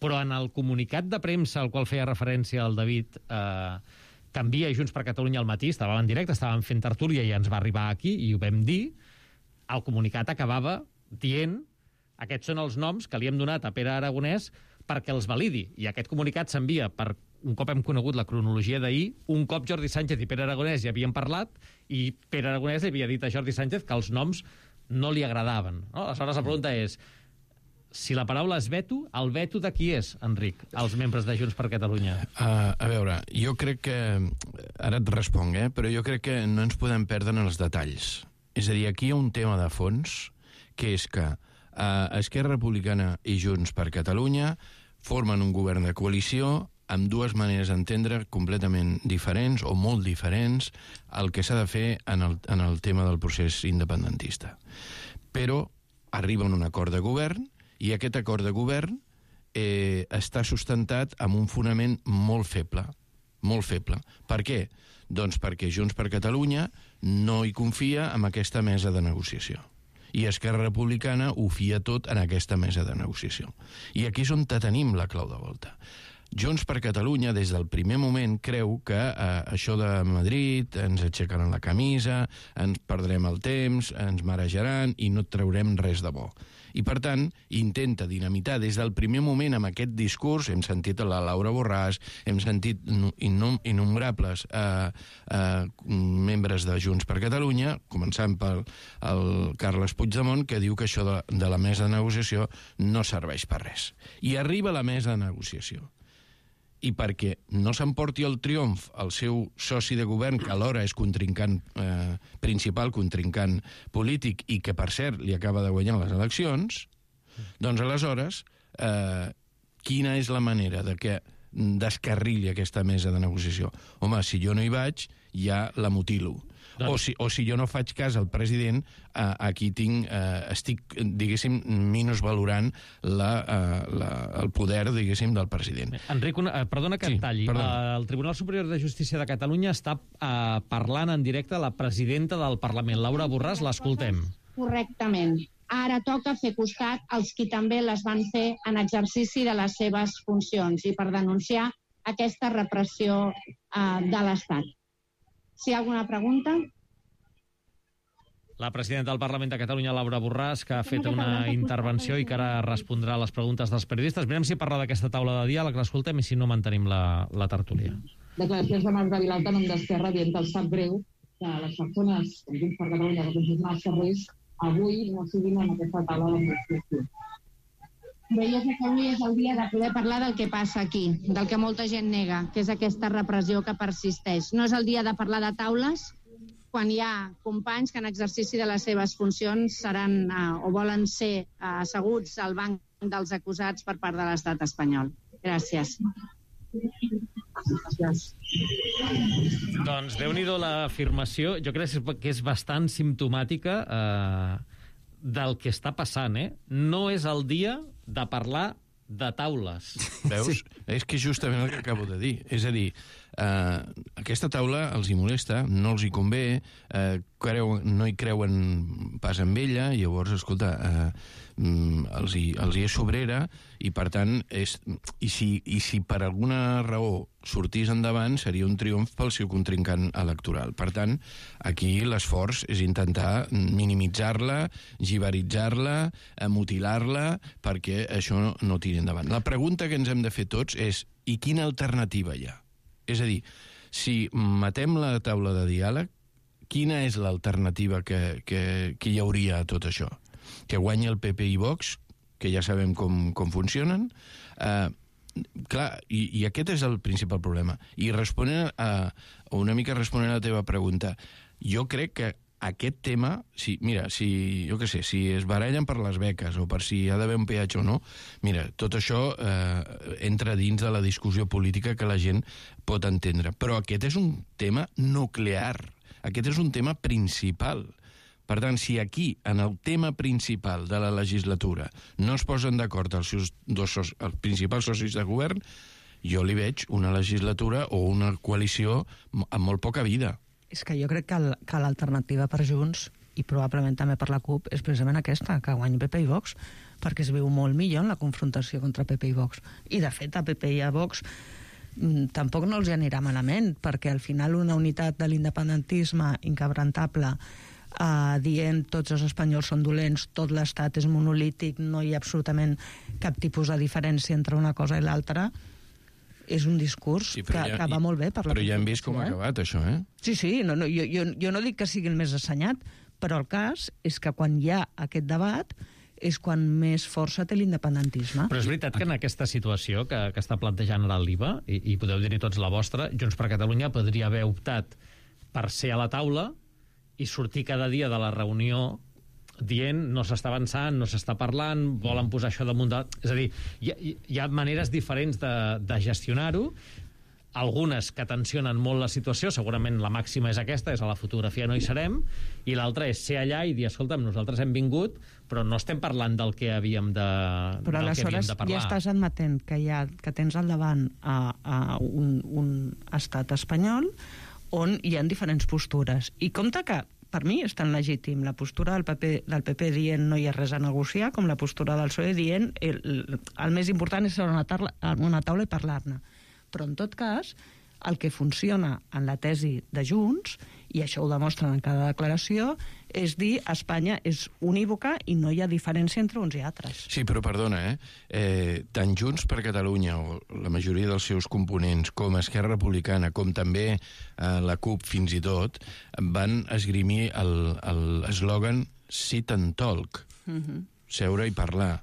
Però en el comunicat de premsa al qual feia referència el David, que envia Junts per Catalunya al matí, estàvem en directe, estàvem fent tertúlia i ens va arribar aquí i ho vam dir, el comunicat acabava dient aquests són els noms que li hem donat a Pere Aragonès perquè els validi. I aquest comunicat s'envia per un cop hem conegut la cronologia d'ahir, un cop Jordi Sánchez i Pere Aragonès ja havien parlat i Pere Aragonès li havia dit a Jordi Sánchez que els noms no li agradaven. No? Aleshores, la pregunta és, si la paraula és veto, el veto de qui és, Enric, els membres de Junts per Catalunya? A veure, jo crec que... Ara et responc, però jo crec que no ens podem perdre en els detalls. És a dir, aquí hi ha un tema de fons, que és que Esquerra Republicana i Junts per Catalunya formen un govern de coalició amb dues maneres d'entendre completament diferents o molt diferents el que s'ha de fer en el tema del procés independentista. Però arriba un acord de govern i aquest acord de govern està sustentat amb un fonament molt feble. Molt feble. Per què? Doncs perquè Junts per Catalunya no hi confia en aquesta mesa de negociació. I Esquerra Republicana ho fia tot en aquesta mesa de negociació. I aquí és on tenim la clau de volta. Junts per Catalunya, des del primer moment, creu que això de Madrid ens aixecaran la camisa, ens perdrem el temps, ens marejaran i no traurem res de bo. I, per tant, intenta dinamitar des del primer moment amb aquest discurs. Hem sentit la Laura Borràs, hem sentit innombrables membres de Junts per Catalunya, començant pel Carles Puigdemont, que diu que això de la mesa de negociació no serveix per res. I arriba a la mesa de negociació. I perquè no s'emporti el triomf el seu soci de govern, que alhora és principal contrincant polític i que, per cert, li acaba de guanyar les eleccions, doncs aleshores, quina és la manera de que descarrili aquesta mesa de negociació? Home, si jo no hi vaig, ja la mutilo. O si jo no faig cas al president, aquí estic, diguéssim, minusvalorant el poder, diguéssim, del president. Enric, perdona que et talli. El Tribunal Superior de Justícia de Catalunya està parlant en directe a la presidenta del Parlament, Laura Borràs. L'escoltem. Correctament. Ara toca fer costat als qui també les van fer en exercici de les seves funcions i per denunciar aquesta repressió de l'Estat. Si hi ha alguna pregunta? La presidenta del Parlament de Catalunya, Laura Borràs, que ha fet una intervenció i que ara respondrà a les preguntes dels periodistes. Mirem si parla d'aquesta taula de diàleg, l'escoltem, i si no mantenim la tertúlia. Declaracions de Marc de Vilalta, en nom d'Esquerra, dient que els sap greu que les persones que Junts per Catalunya representen els carrers avui no siguin en aquesta taula de negociació. Bé, jo crec que avui és el dia de poder parlar del que passa aquí, del que molta gent nega, que és aquesta repressió que persisteix. No és el dia de parlar de taules quan hi ha companys que en exercici de les seves funcions seran o volen ser asseguts al banc dels acusats per part de l'estat espanyol. Gràcies. Doncs déu-n'hi-do l'afirmació. Jo crec que és bastant simptomàtica del que està passant, No és el dia de parlar de taules. Veus? Sí. És que justament el que acabo de dir. És a dir, aquesta taula els hi molesta, no els hi convé, no hi creuen pas amb ella, i llavors, escolta, els hi és sobrera, i per tant, i si per alguna raó sortís endavant, seria un triomf pel seu contrincant electoral. Per tant, aquí l'esforç és intentar minimitzar-la, gibaritzar-la, mutilar-la, perquè això no tiri endavant. La pregunta que ens hem de fer tots és: i quina alternativa hi ha? És a dir, si matem la taula de diàleg, quina és l'alternativa que hi hauria a tot això? Que guanyi el PP i Vox, que ja sabem com funcionen? Clar, i aquest és el principal problema. I una mica responent a la teva pregunta, jo crec que aquest tema, si es barallen per les beques o per si hi ha d'haver un peatge o no, mira, tot això entra dins de la discussió política que la gent pot entendre. Però aquest és un tema nuclear, aquest és un tema principal. Per tant, si aquí, en el tema principal de la legislatura, no es posen d'acord els principals socis de govern, jo li veig una legislatura o una coalició amb molt poca vida. És que jo crec que l'alternativa per Junts, i probablement també per la CUP, és precisament aquesta, que guanyi PP i Vox, perquè es viu molt millor en la confrontació contra PP i Vox. I, de fet, a PP i a Vox tampoc no els hi anirà malament, perquè al final una unitat de l'independentisme inquebrantable dient tots els espanyols són dolents, tot l'estat és monolític, no hi ha absolutament cap tipus de diferència entre una cosa i l'altra, és un discurs que va molt bé per la Però ja hem vist com ha acabat això, Sí, no, jo no dic que sigui el més assenyat, Però el cas és que quan hi ha aquest debat és quan més força té l'independentisme. Però és veritat que en aquesta situació que està plantejant ara l'IVA, i podeu dir-hi tots la vostra, Junts per Catalunya podria haver optat per ser a la taula i sortir cada dia de la reunió dient no s'està avançant, no s'està parlant, volen posar això damunt de... És a dir, hi ha maneres diferents de gestionar-ho, algunes que tensionen molt la situació, segurament la màxima és aquesta, és a la fotografia no hi serem, i l'altra és ser allà i dir, escolta'm, nosaltres hem vingut, però no estem parlant del que havíem de parlar. Però aleshores ja estàs admetent que tens al davant a un estat espanyol on hi ha diferents postures. I compte que per mi és tan legítim la postura del PP dient no hi ha res a negociar, com la postura del PSOE dient el més important és ser a una taula i parlar-ne. Però en tot cas, el que funciona en la tesi de Junts, i això ho demostren en cada declaració, és dir Espanya és unívoca i no hi ha diferència entre uns i altres. Sí, però perdona, tant Junts per Catalunya, o la majoria dels seus components, com Esquerra Republicana, com també la CUP fins i tot, van esgrimir l'eslògan sit and talk, seure i parlar.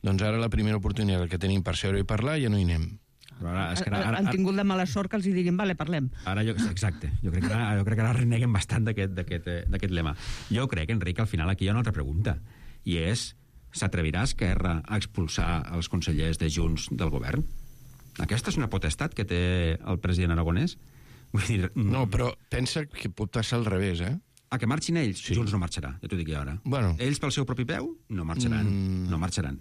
Doncs ara la primera oportunitat que tenim per seure i parlar ja no hi anem. Han tingut la mala sort que els diguin, vale, parlem. Exacte. Jo crec que ara reneguen bastant d'aquest lema. Jo crec, Enric, al final aquí hi ha una altra pregunta, i és, s'atrevirà Esquerra a expulsar els consellers de Junts del govern? Aquesta és una potestat que té el president aragonès? Vull dir... No, però pensa que pot passar al revés, A que marxin ells? Sí. Junts no marxarà, ja t'ho dic jo ara. Bueno. Ells pel seu propi peu no marxaran. No marxaran.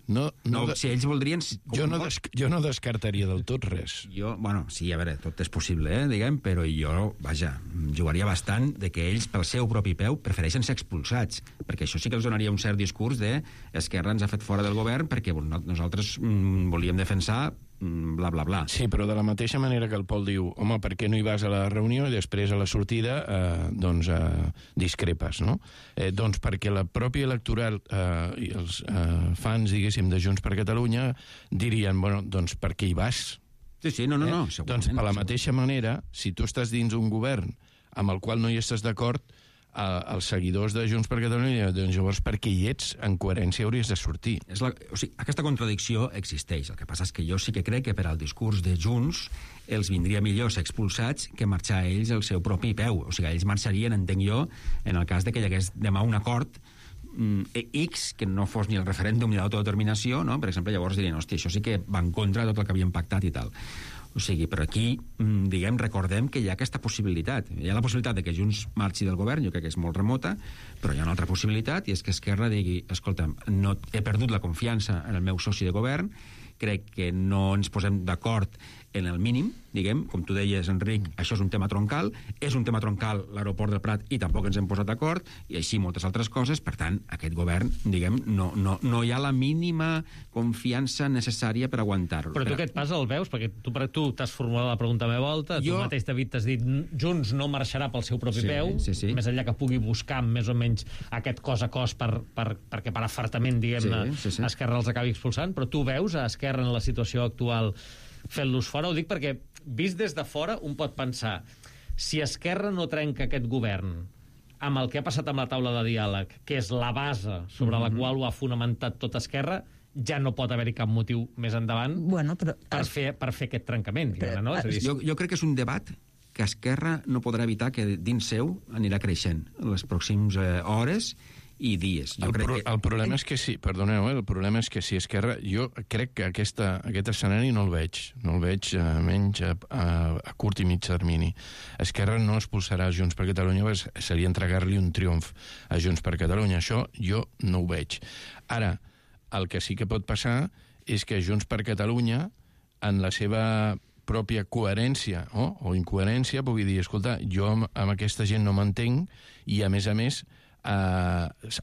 Si ells voldrien... Jo no descartaria del tot res. Sí, a veure, tot és possible, diguem, però jo, jugaria bastant de que ells pel seu propi peu prefereixen ser expulsats, perquè això sí que els donaria un cert discurs de Esquerra ens ha fet fora del govern perquè nosaltres volíem defensar bla, bla, bla. Sí, però de la mateixa manera que el Pol diu home, per què no hi vas a la reunió i després a la sortida discrepes, no? Doncs perquè la pròpia electoral i els fans, diguéssim, de Junts per Catalunya dirien, doncs per què hi vas? Sí, no, doncs per la mateixa manera, si tu estàs dins un govern amb el qual no hi estàs d'acord, els seguidors de Junts per Catalunya, doncs llavors perquè hi ets, en coherència hauries de sortir. Aquesta contradicció existeix. El que passa és que jo sí que crec que per al discurs de Junts els vindria millor ser expulsats que marxar ells al seu propi peu. O sigui, ells marxarien, entenc jo, en el cas de que hi hagués demà un acord X, que no fos ni el referèndum ni l'autodeterminació, no? Per exemple, llavors dirien, hòstia, això sí que va en contra de tot el que havien pactat i tal. O sigui, però aquí, recordem que hi ha aquesta possibilitat. Hi ha la possibilitat de que Junts marxi del govern, jo crec que és molt remota, però hi ha una altra possibilitat, i és que Esquerra digui, escolta, no, he perdut la confiança en el meu soci de govern, crec que no ens posem d'acord en el mínim, diguem, com tu deies, Enric, això és un tema troncal l'aeroport del Prat, i tampoc ens hem posat d'acord, i així moltes altres coses. Per tant, aquest govern, diguem, no hi ha la mínima confiança necessària per aguantar-lo. Però tu què et passa, el veus? Perquè tu t'has formulat la pregunta a meva volta, tu mateix, David, t'has dit Junts no marxarà pel seu propi peu, més enllà que pugui buscar més o menys aquest cos a cos perquè per afartament, diguem-ne, Esquerra els acabi expulsant, però tu veus a Esquerra en la situació actual fent-los fora? Ho dic perquè, vist des de fora, un pot pensar, si Esquerra no trenca aquest govern amb el que ha passat amb la taula de diàleg, que és la base sobre la qual ho ha fonamentat tot Esquerra, ja no pot haver-hi cap motiu més endavant per fer aquest trencament. No? Jo crec que és un debat que Esquerra no podrà evitar que dins seu anirà creixent en les pròximes hores i dies. El problema és que sí, perdoneu, el problema és que si Esquerra, jo crec que aquest escenari no el veig menys a curt i mig termini. Esquerra no expulsarà Junts per Catalunya, seria entregar-li un triomf a Junts per Catalunya. Això jo no ho veig. Ara, el que sí que pot passar és que Junts per Catalunya, en la seva pròpia coherència o incoherència, pugui dir, escolta, jo amb aquesta gent no m'entenc, i a més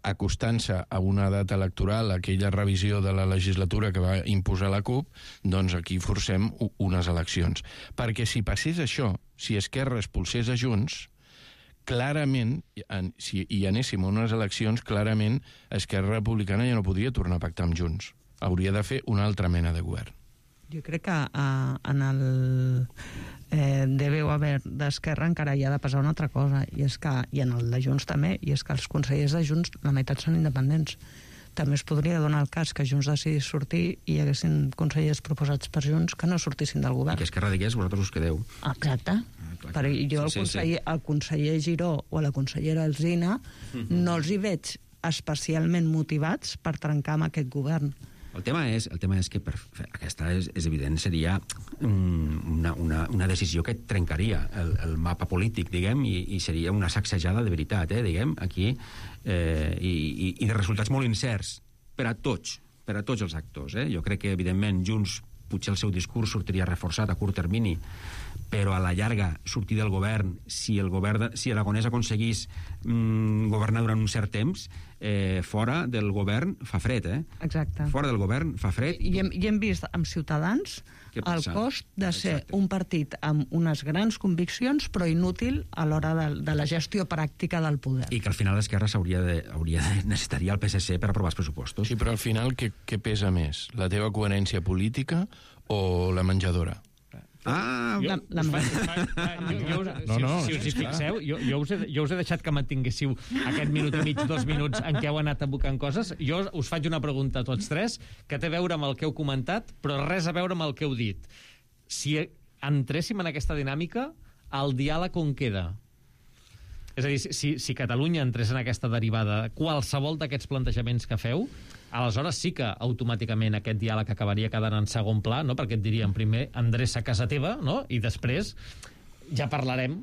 acostant-se a una data electoral, aquella revisió de la legislatura que va imposar la CUP, doncs aquí forcem unes eleccions. Perquè si passés això, si Esquerra expulsés a Junts, clarament, si hi anéssim a unes eleccions, clarament Esquerra Republicana ja no podria tornar a pactar amb Junts. Hauria de fer una altra mena de govern. Jo crec que deu haver d'Esquerra encara hi ha de passar una altra cosa, i és que, i en el de Junts també, i és que els consellers de Junts la meitat són independents. També es podria donar el cas que Junts decidís sortir i hi haguessin consellers proposats per Junts que no sortissin del govern. I que Esquerra digués, vosaltres us quedeu. Exacte. Perquè jo el conseller Giró o la consellera Alsina no els hi veig especialment motivats per trencar amb aquest govern. El tema és que aquesta és evident, seria una decisió que trencaria el mapa polític, diguem, i seria una sacsejada de veritat, diguem, aquí, i de resultats molt incerts per a tots els actors. Jo crec que, evidentment, Junts, potser el seu discurs sortiria reforçat a curt termini, però a la llarga sortir del govern, si Aragonès aconseguís governar durant un cert temps, fora del govern fa fred, Exacte. Fora del govern fa fred. I hem vist amb Ciutadans el cost de ser un partit amb unes grans conviccions però inútil a l'hora de la gestió pràctica del poder. I que al final l'Esquerra necessitaria el PSC per aprovar els pressupostos. Sí, però al final què pesa més? La teva coherència política o la menjadora? Si us hi fixeu, jo us he deixat que mantinguéssiu aquest minut i mig, 2 minuts en què heu anat abocant coses. Jo us faig una pregunta a tots tres que té a veure amb el que heu comentat, però res a veure amb el que heu dit. Si entréssim en aquesta dinàmica, el diàleg on queda? És a dir, si Catalunya entrés en aquesta derivada, qualsevol d'aquests plantejaments que feu, aleshores sí que automàticament aquest diàleg acabaria quedant en segon pla, no? Perquè et dirien primer endreça a casa teva, no? I després ja parlarem.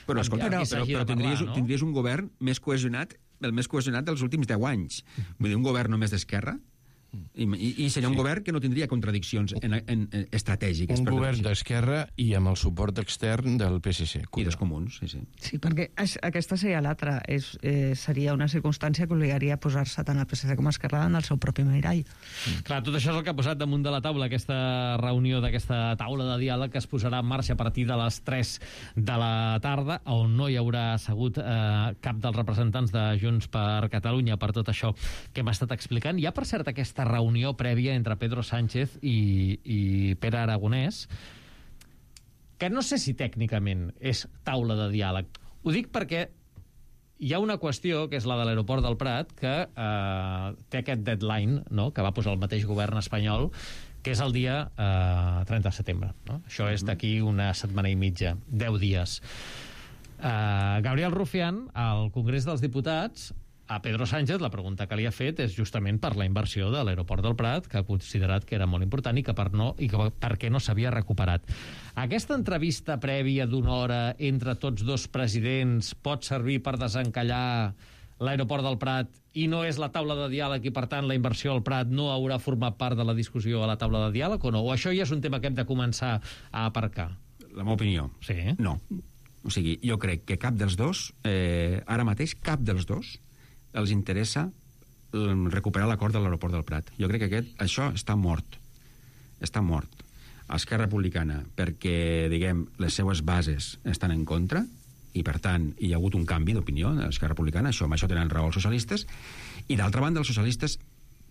Però escolta, però tindries un govern més cohesionat, el més cohesionat dels últims 10 anys. Vull dir, un govern només d'esquerra, i seria un govern que no tindria contradiccions estratègiques. Un govern d'esquerra i amb el suport extern del PSC. I dels comuns, sí. Sí, perquè aquesta seria l'altra. Seria una circumstància que obligaria a posar-se tant el PSC com Esquerra en el seu propi mirall. Clar, tot això és el que ha posat damunt de la taula aquesta reunió d'aquesta taula de diàleg que es posarà en marxa a partir de les 3 de la tarda, on no hi haurà assegut cap dels representants de Junts per Catalunya per tot això que hem estat explicant. Hi ha, per cert, aquesta reunió prèvia entre Pedro Sánchez i Pere Aragonès, que no sé si tècnicament és taula de diàleg. Ho dic perquè hi ha una qüestió, que és la de l'aeroport del Prat, que té aquest deadline, no?, que va posar el mateix govern espanyol, que és el dia 30 de setembre. No? Això és d'aquí una setmana i mitja, 10 dies. Gabriel Rufián, al Congrés dels Diputats, a Pedro Sánchez la pregunta que li ha fet és justament per la inversió de l'aeroport del Prat, que ha considerat que era molt important i que per què no s'havia recuperat. Aquesta entrevista prèvia d'una hora entre tots dos presidents pot servir per desencallar l'aeroport del Prat i no és la taula de diàleg i, per tant, la inversió al Prat no haurà format part de la discussió a la taula de diàleg o no? O això ja és un tema que hem de començar a aparcar? La meva opinió? Sí. No. O sigui, jo crec que cap dels dos, ara mateix, cap dels dos, els interessa recuperar l'acord de l'aeroport del Prat. Jo crec que això està mort. Està mort. Esquerra Republicana, perquè, diguem, les seues bases estan en contra, i, per tant, hi ha hagut un canvi d'opinió de l'Esquerra Republicana, amb això tenen raó els socialistes, i, d'altra banda, els socialistes,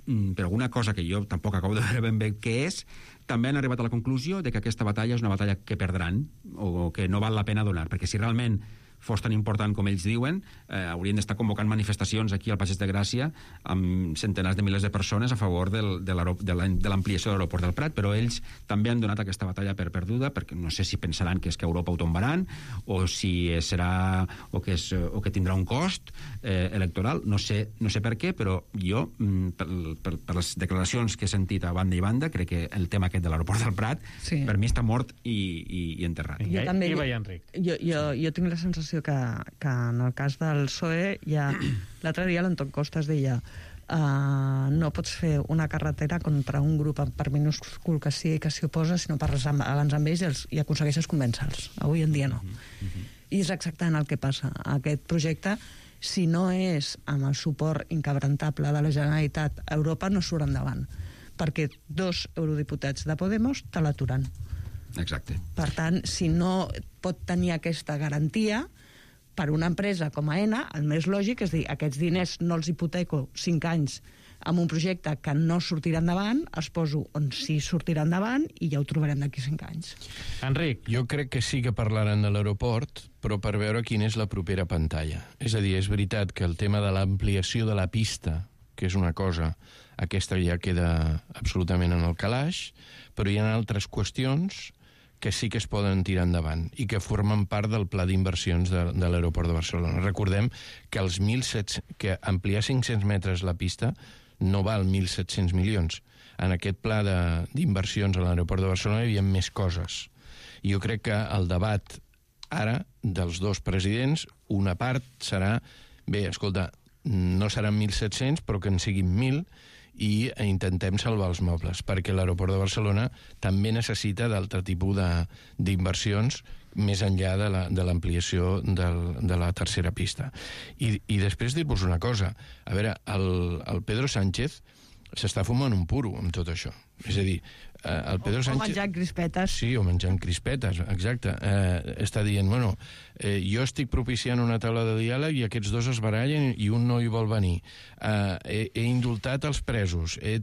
per alguna cosa que jo tampoc acabo de veure ben bé què és, també han arribat a la conclusió de que aquesta batalla és una batalla que perdran, o que no val la pena donar, perquè si realment fos tan important com ells diuen, haurien d'estar convocant manifestacions aquí al Passeig de Gràcia amb centenars de milers de persones a favor de l'ampliació de l'aeroport del Prat, però ells també han donat aquesta batalla per perduda, perquè no sé si pensaran que és que Europa ho tombaran, o si serà o que tindrà un cost electoral, no sé per què, però jo, per les declaracions que he sentit a banda i banda, crec que el tema aquest de l'aeroport del Prat, per mi està mort i enterrat. Jo també, jo tinc la sensació que en el cas del PSOE l'altre dia l'Anton Costas deia no pots fer una carretera contra un grup per minúscul que sigui que s'hi oposa, sinó parles abans amb ells i aconsegueixes convèncer-los. Avui en dia no. I és exactament el que passa. Aquest projecte, si no és amb el suport inquebrantable de la Generalitat, Europa no surt endavant, perquè 2 eurodiputats de Podemos te l'aturen. Exacte. Per tant, si no pot tenir aquesta garantia, per una empresa com AENA, el més lògic és dir, aquests diners no els hipoteco 5 anys amb un projecte que no sortirà endavant, es poso on sí sortirà endavant i ja ho trobarem d'aquí 5 anys. Enric. Jo crec que sí que parlaran de l'aeroport, però per veure quina és la propera pantalla. És a dir, és veritat que el tema de l'ampliació de la pista, que és una cosa, aquesta ja queda absolutament en el calaix, però hi ha altres qüestions que sí que es poden tirar endavant i que formen part del pla d'inversions de l'aeroport de Barcelona. Recordem que que ampliar 500 metres la pista no val 1.700 milions. En aquest pla d'inversions a l'aeroport de Barcelona hi havia més coses. I jo crec que el debat ara dels dos presidents, una part serà, bé, escolta, no seran 1.700, però que en siguin 1.000, i intentem salvar els mobles, perquè l'aeroport de Barcelona també necessita d'altre tipus d'inversions més enllà de l'ampliació de la tercera pista. I després dir-vos una cosa. A veure, el Pedro Sánchez s'està fumant un puro amb tot això. És a dir, el Pedro Sánchez... O menjant crispetes. Sí, o menjant crispetes, exacte. Està dient, bueno, jo estic propiciant una taula de diàleg i aquests dos es barallen i un no hi vol venir. He indultat els presos, he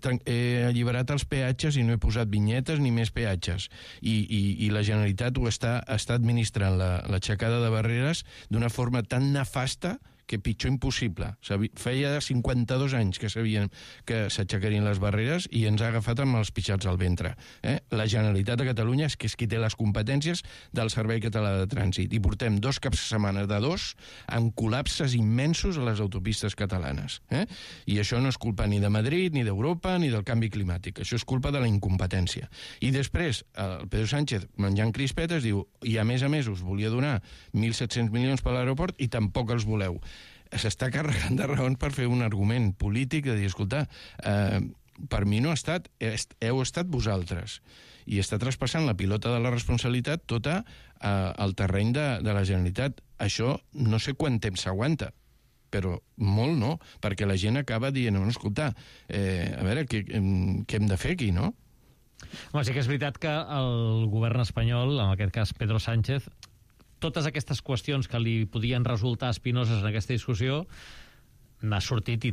alliberat els peatges i no he posat vinyetes ni més peatges. I la Generalitat ho està administrant l'aixecada de barreres d'una forma tan nefasta que pitjor impossible. Feia 52 anys que sabien que s'aixecarien les barreres i ens ha agafat amb els pixats al ventre. La Generalitat de Catalunya és qui té les competències del Servei Català de Trànsit i portem 2 caps de setmana de 2 amb col·lapses immensos a les autopistes catalanes. I això no és culpa ni de Madrid, ni d'Europa, ni del canvi climàtic. Això és culpa de la incompetència. I després, el Pedro Sánchez, menjant crispetes, diu, i a més us volia donar 1.700 milions per l'aeroport i tampoc els voleu. S'està carregant de raons per fer un argument polític de dir, escolta, per mi no ha estat, heu estat vosaltres, i està traspassant la pilota de la responsabilitat tota al terreny de la Generalitat. Això no sé quant temps s'aguanta, però molt no, perquè la gent acaba dient, no, escolta, a veure, què hem de fer aquí, no? Home, sí que és veritat que el govern espanyol, en aquest cas Pedro Sánchez, totes aquestes qüestions que li podien resultar espinoses en aquesta discussió n'ha sortit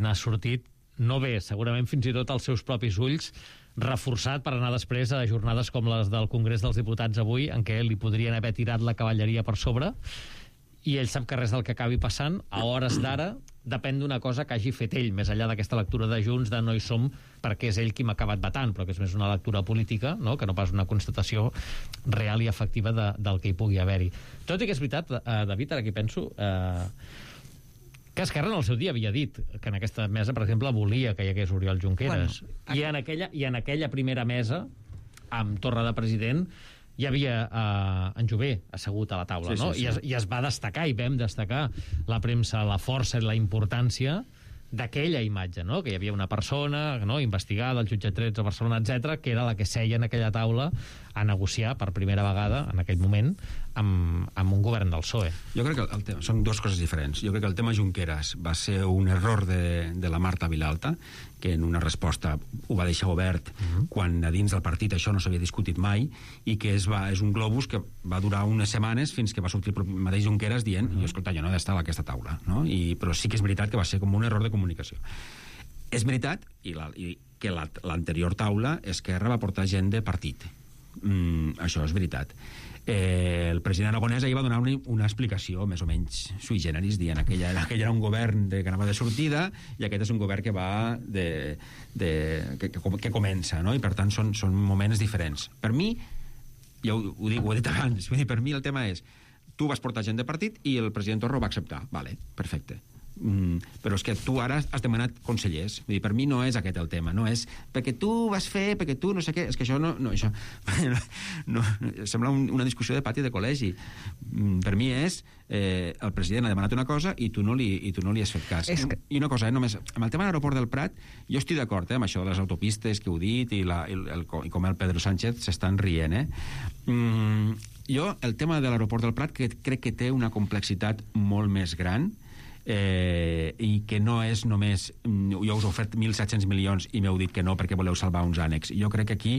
no bé, segurament fins i tot als seus propis ulls, reforçat per anar després a jornades com les del Congrés dels Diputats avui, en què li podrien haver tirat la cavalleria per sobre, i ell sap que res del que acabi passant a hores d'ara depèn d'una cosa que hagi fet ell, més enllà d'aquesta lectura de Junts de no hi som perquè és ell qui m'ha acabat vetant, però que és més una lectura política, no? Que no pas una constatació real i efectiva del que hi pugui haver-hi. Tot i que és veritat, David, ara que penso, que Esquerra en el seu dia havia dit que en aquesta mesa, per exemple, volia que hi hagués Oriol Junqueras. Bueno, i en aquella primera mesa, amb Torra de president, hi havia en Jové assegut a la taula, no? Sí. I es va destacar, i vam destacar la premsa, la força i la importància d'aquella imatge, no? Que hi havia una persona, no?, investigada al jutjat 13 a Barcelona, etc., que era la que seia en aquella taula a negociar per primera vegada, en aquell moment, amb un govern del PSOE. Jo crec que són dues coses diferents. Jo crec que el tema Junqueras va ser un error de la Marta Vilalta, que en una resposta ho va deixar obert quan a dins del partit això no s'havia discutit mai, i que és un globus que va durar unes setmanes fins que va sortir el mateix Junqueras dient, escolta, jo no he d'estar a aquesta taula, no? Però sí que és veritat que va ser com un error de comunicació. És veritat que l'anterior taula Esquerra va portar gent de partit. Això és veritat. El president Aragonès ahir va donar una explicació més o menys sui generis, dient que aquell era un govern que anava de sortida i aquest és un govern que va que comença, no? I per tant són moments diferents. Per mi, ja ho he dit abans, per mi el tema és tu vas portar gent de partit i el president Torra ho va acceptar. Vale, perfecte. Però és que tu ara has demanat consellers. Vull dir, per mi no és aquest el tema, no és perquè tu vas fer, perquè tu no sé què, és que això això sembla una discussió de pati de col·legi. Per mi és el president ha demanat una cosa i tu no li has fet cas. I una cosa, només amb el tema de l'aeroport del Prat jo estic d'acord amb això de les autopistes que heu dit i com el Pedro Sánchez s'estan rient. Jo el tema de l'aeroport del Prat crec que té una complexitat molt més gran i que no és només jo us he ofert 1.700 milions i m'heu dit que no perquè voleu salvar uns ànecs. Jo crec que aquí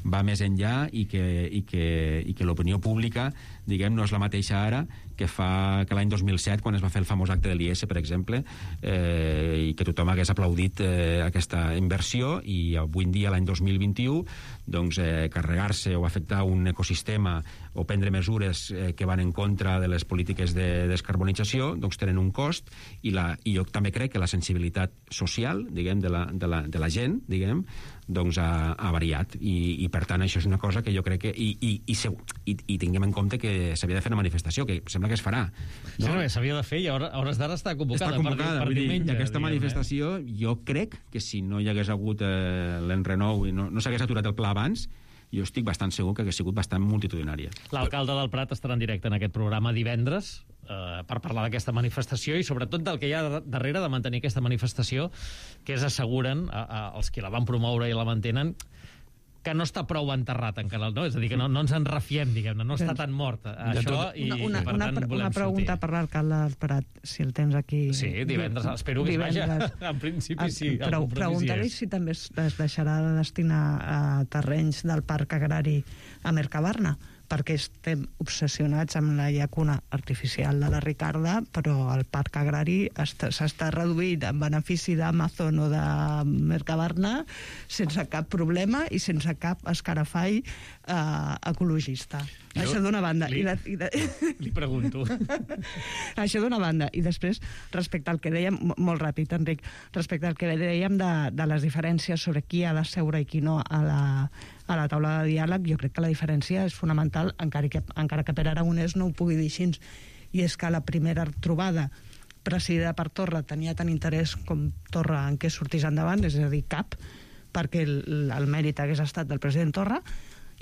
va més enllà i que l'opinió pública, diguem, no és la mateixa ara que que l'any 2007, quan es va fer el famós acte de l'IS, per exemple, i que tothom hagués aplaudit aquesta inversió, i avui en dia, l'any 2021, doncs carregar-se o afectar un ecosistema o prendre mesures que van en contra de les polítiques de descarbonització, doncs tenen un cost, i jo també crec que la sensibilitat social, diguem, de la gent, diguem, doncs ha variat, i per tant això és una cosa que jo crec que i tinguem en compte que s'havia de fer una manifestació, que sembla que es farà, no? Sí, s'havia de fer i a hores d'ara està convocada per diumenge. Aquesta manifestació, jo crec que si no hi hagués hagut l'enrenou i no s'hagués aturat el pla abans, jo estic bastant segur que hauria sigut bastant multitudinària. L'alcalde del Prat estarà en directe en aquest programa divendres per parlar d'aquesta manifestació i sobretot del que hi ha darrere de mantenir aquesta manifestació, que és, asseguren els que la van promoure i la mantenen, que no està prou enterrat encara, no? És a dir, que no ens en refiem, diguem-ne, no està tan mort això, i per tant volem una pregunta per l'alcalde del Prat, si el tens aquí. Sí, divendres, espero que es vaja. En principi sí. Preguntar-li si també es deixarà de destinar terrenys del parc agrari a Mercabarna, perquè estem obsessionats amb la llacuna artificial de la Ricarda, però el parc agrari s'està reduint en benefici d'Amazon o de Mercabarna sense cap problema i sense cap escarafall ecologista. Això d'una banda. Li pregunto. Això d'una banda. I després, respecte al que dèiem, molt ràpid, Enric, respecte al que dèiem de les diferències sobre qui ha de seure i qui no a la taula de diàleg, jo crec que la diferència és fonamental, encara que Pere Aragonès no ho pugui dir així. I és que la primera trobada presidida per Torra tenia tant interès com Torra en què sortís endavant, és a dir, cap, perquè el mèrit hagués estat del president Torra,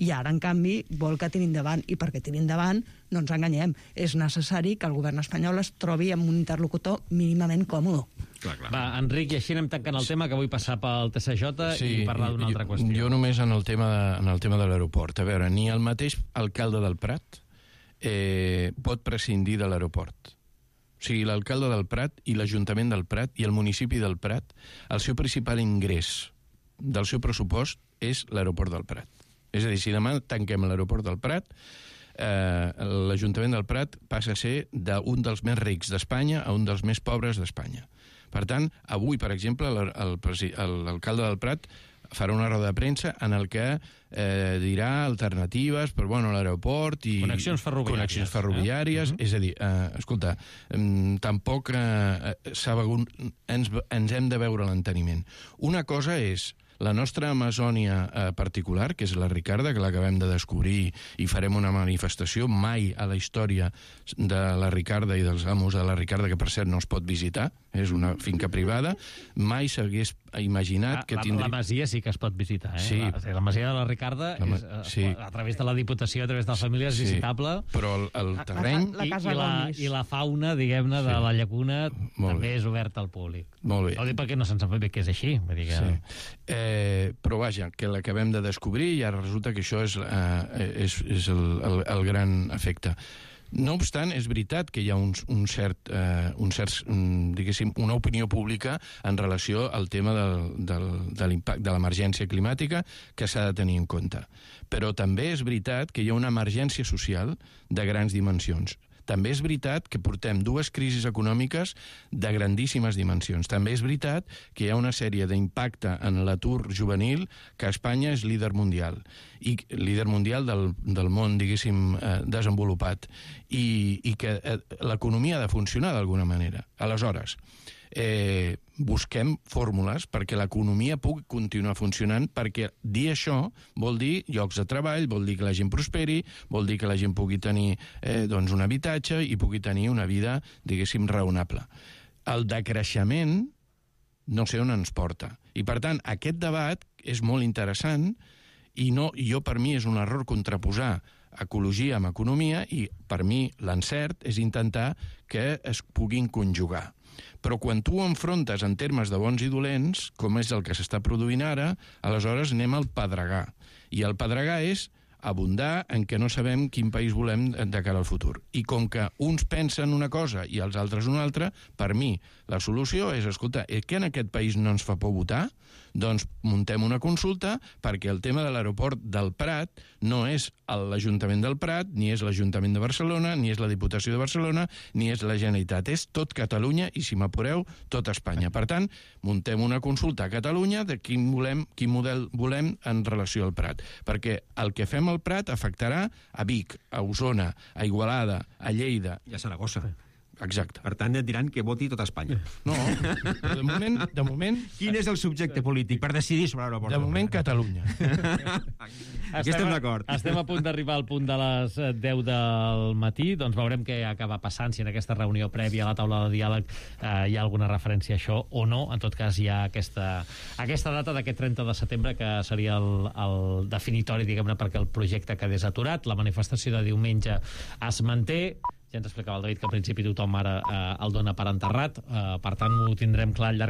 i ara, en canvi, vol que tiri endavant, i perquè tiri endavant, no ens enganyem, és necessari que el govern espanyol es trobi amb un interlocutor mínimament còmode. Clar. Va, Enric, i així anem tancant el tema, que vull passar pel TCJ i parlar d'una altra qüestió. Jo només en el tema de l'aeroport. A veure, ni el mateix alcalde del Prat pot prescindir de l'aeroport. O sigui, l'alcalde del Prat i l'Ajuntament del Prat i el municipi del Prat, el seu principal ingrés del seu pressupost és l'aeroport del Prat. És a dir, si demà tanquem l'aeroport del Prat, l'Ajuntament del Prat passa a ser d'un dels més rics d'Espanya a un dels més pobres d'Espanya. Per tant, avui, per exemple, l'alcalde del Prat farà una roda de premsa en el que dirà alternatives per l'aeroport i connexions ferroviàries. És a dir, escolta, tampoc ens hem de veure l'enteniment. Una cosa és la nostra Amazònia particular, que és la Ricarda, que l'acabem de descobrir i farem una manifestació. Mai a la història de la Ricarda i dels amos de la Ricarda, que per cert no es pot visitar, és una finca privada, mai s'hagués imaginat que tindria... La masia sí que es pot visitar, eh? Sí. La masia de la Ricarda, sí. A través de la Diputació, a través de la família, és visitable. Però el terreny... I la fauna, diguem-ne, de la llacuna també és oberta al públic. Molt bé. No ho dic perquè no se'n sap bé que és així. Vull dir que... Però vaja, que l'acabem de descobrir i ara resulta que això és el gran efecte. No obstant, és veritat que hi ha diguéssim, una opinió pública en relació al tema de l'impacte de l'emergència climàtica que s'ha de tenir en compte. Però també és veritat que hi ha una emergència social de grans dimensions. També és veritat que portem dues crisis econòmiques de grandíssimes dimensions. També és veritat que hi ha una sèrie d'impacte en l'atur juvenil, que Espanya és líder mundial, i líder mundial del món, diguéssim, desenvolupat, i que l'economia ha de funcionar d'alguna manera. Aleshores, busquem fórmules perquè l'economia pugui continuar funcionant, perquè dir això vol dir llocs de treball, vol dir que la gent prosperi, vol dir que la gent pugui tenir un habitatge i pugui tenir una vida, diguéssim, raonable. El decreixement no sé on ens porta. I, per tant, aquest debat és molt interessant i per mi és un error contraposar ecologia amb economia i, per mi, l'encert és intentar que es puguin conjugar. Però quan tu ho enfrontes en termes de bons i dolents, com és el que s'està produint ara, aleshores anem al pedregar. I el pedregar és abundar en què no sabem quin país volem de cara al futur. I com que uns pensen una cosa i els altres una altra, per mi la solució és, escolta, que en aquest país no ens fa por votar? Doncs muntem una consulta perquè el tema de l'aeroport del Prat no és l'Ajuntament del Prat, ni és l'Ajuntament de Barcelona, ni és la Diputació de Barcelona, ni és la Generalitat. És tot Catalunya i, si m'apureu, tot Espanya. Per tant, muntem una consulta a Catalunya de quin model volem en relació al Prat. Perquè el que fem al Prat afectarà a Vic, a Osona, a Igualada, a Lleida... I a Saragossa. Exacte. Per tant, et diran que voti tota Espanya. No, de moment... Quin és el subjecte polític per decidir sobre l'aeroport? De moment, Catalunya. Aquí estem d'acord. Estem a punt d'arribar al punt de les 10 del matí, doncs veurem què acaba passant, si en aquesta reunió prèvia a la taula de diàleg hi ha alguna referència a això o no. En tot cas, hi ha aquesta data d'aquest 30 de setembre que seria el definitori, diguem-ne, perquè el projecte quedés aturat. La manifestació de diumenge es manté. Ja ens explicava el David que al principi tothom ara el dona per enterrat, per tant ho tindrem clar al llarg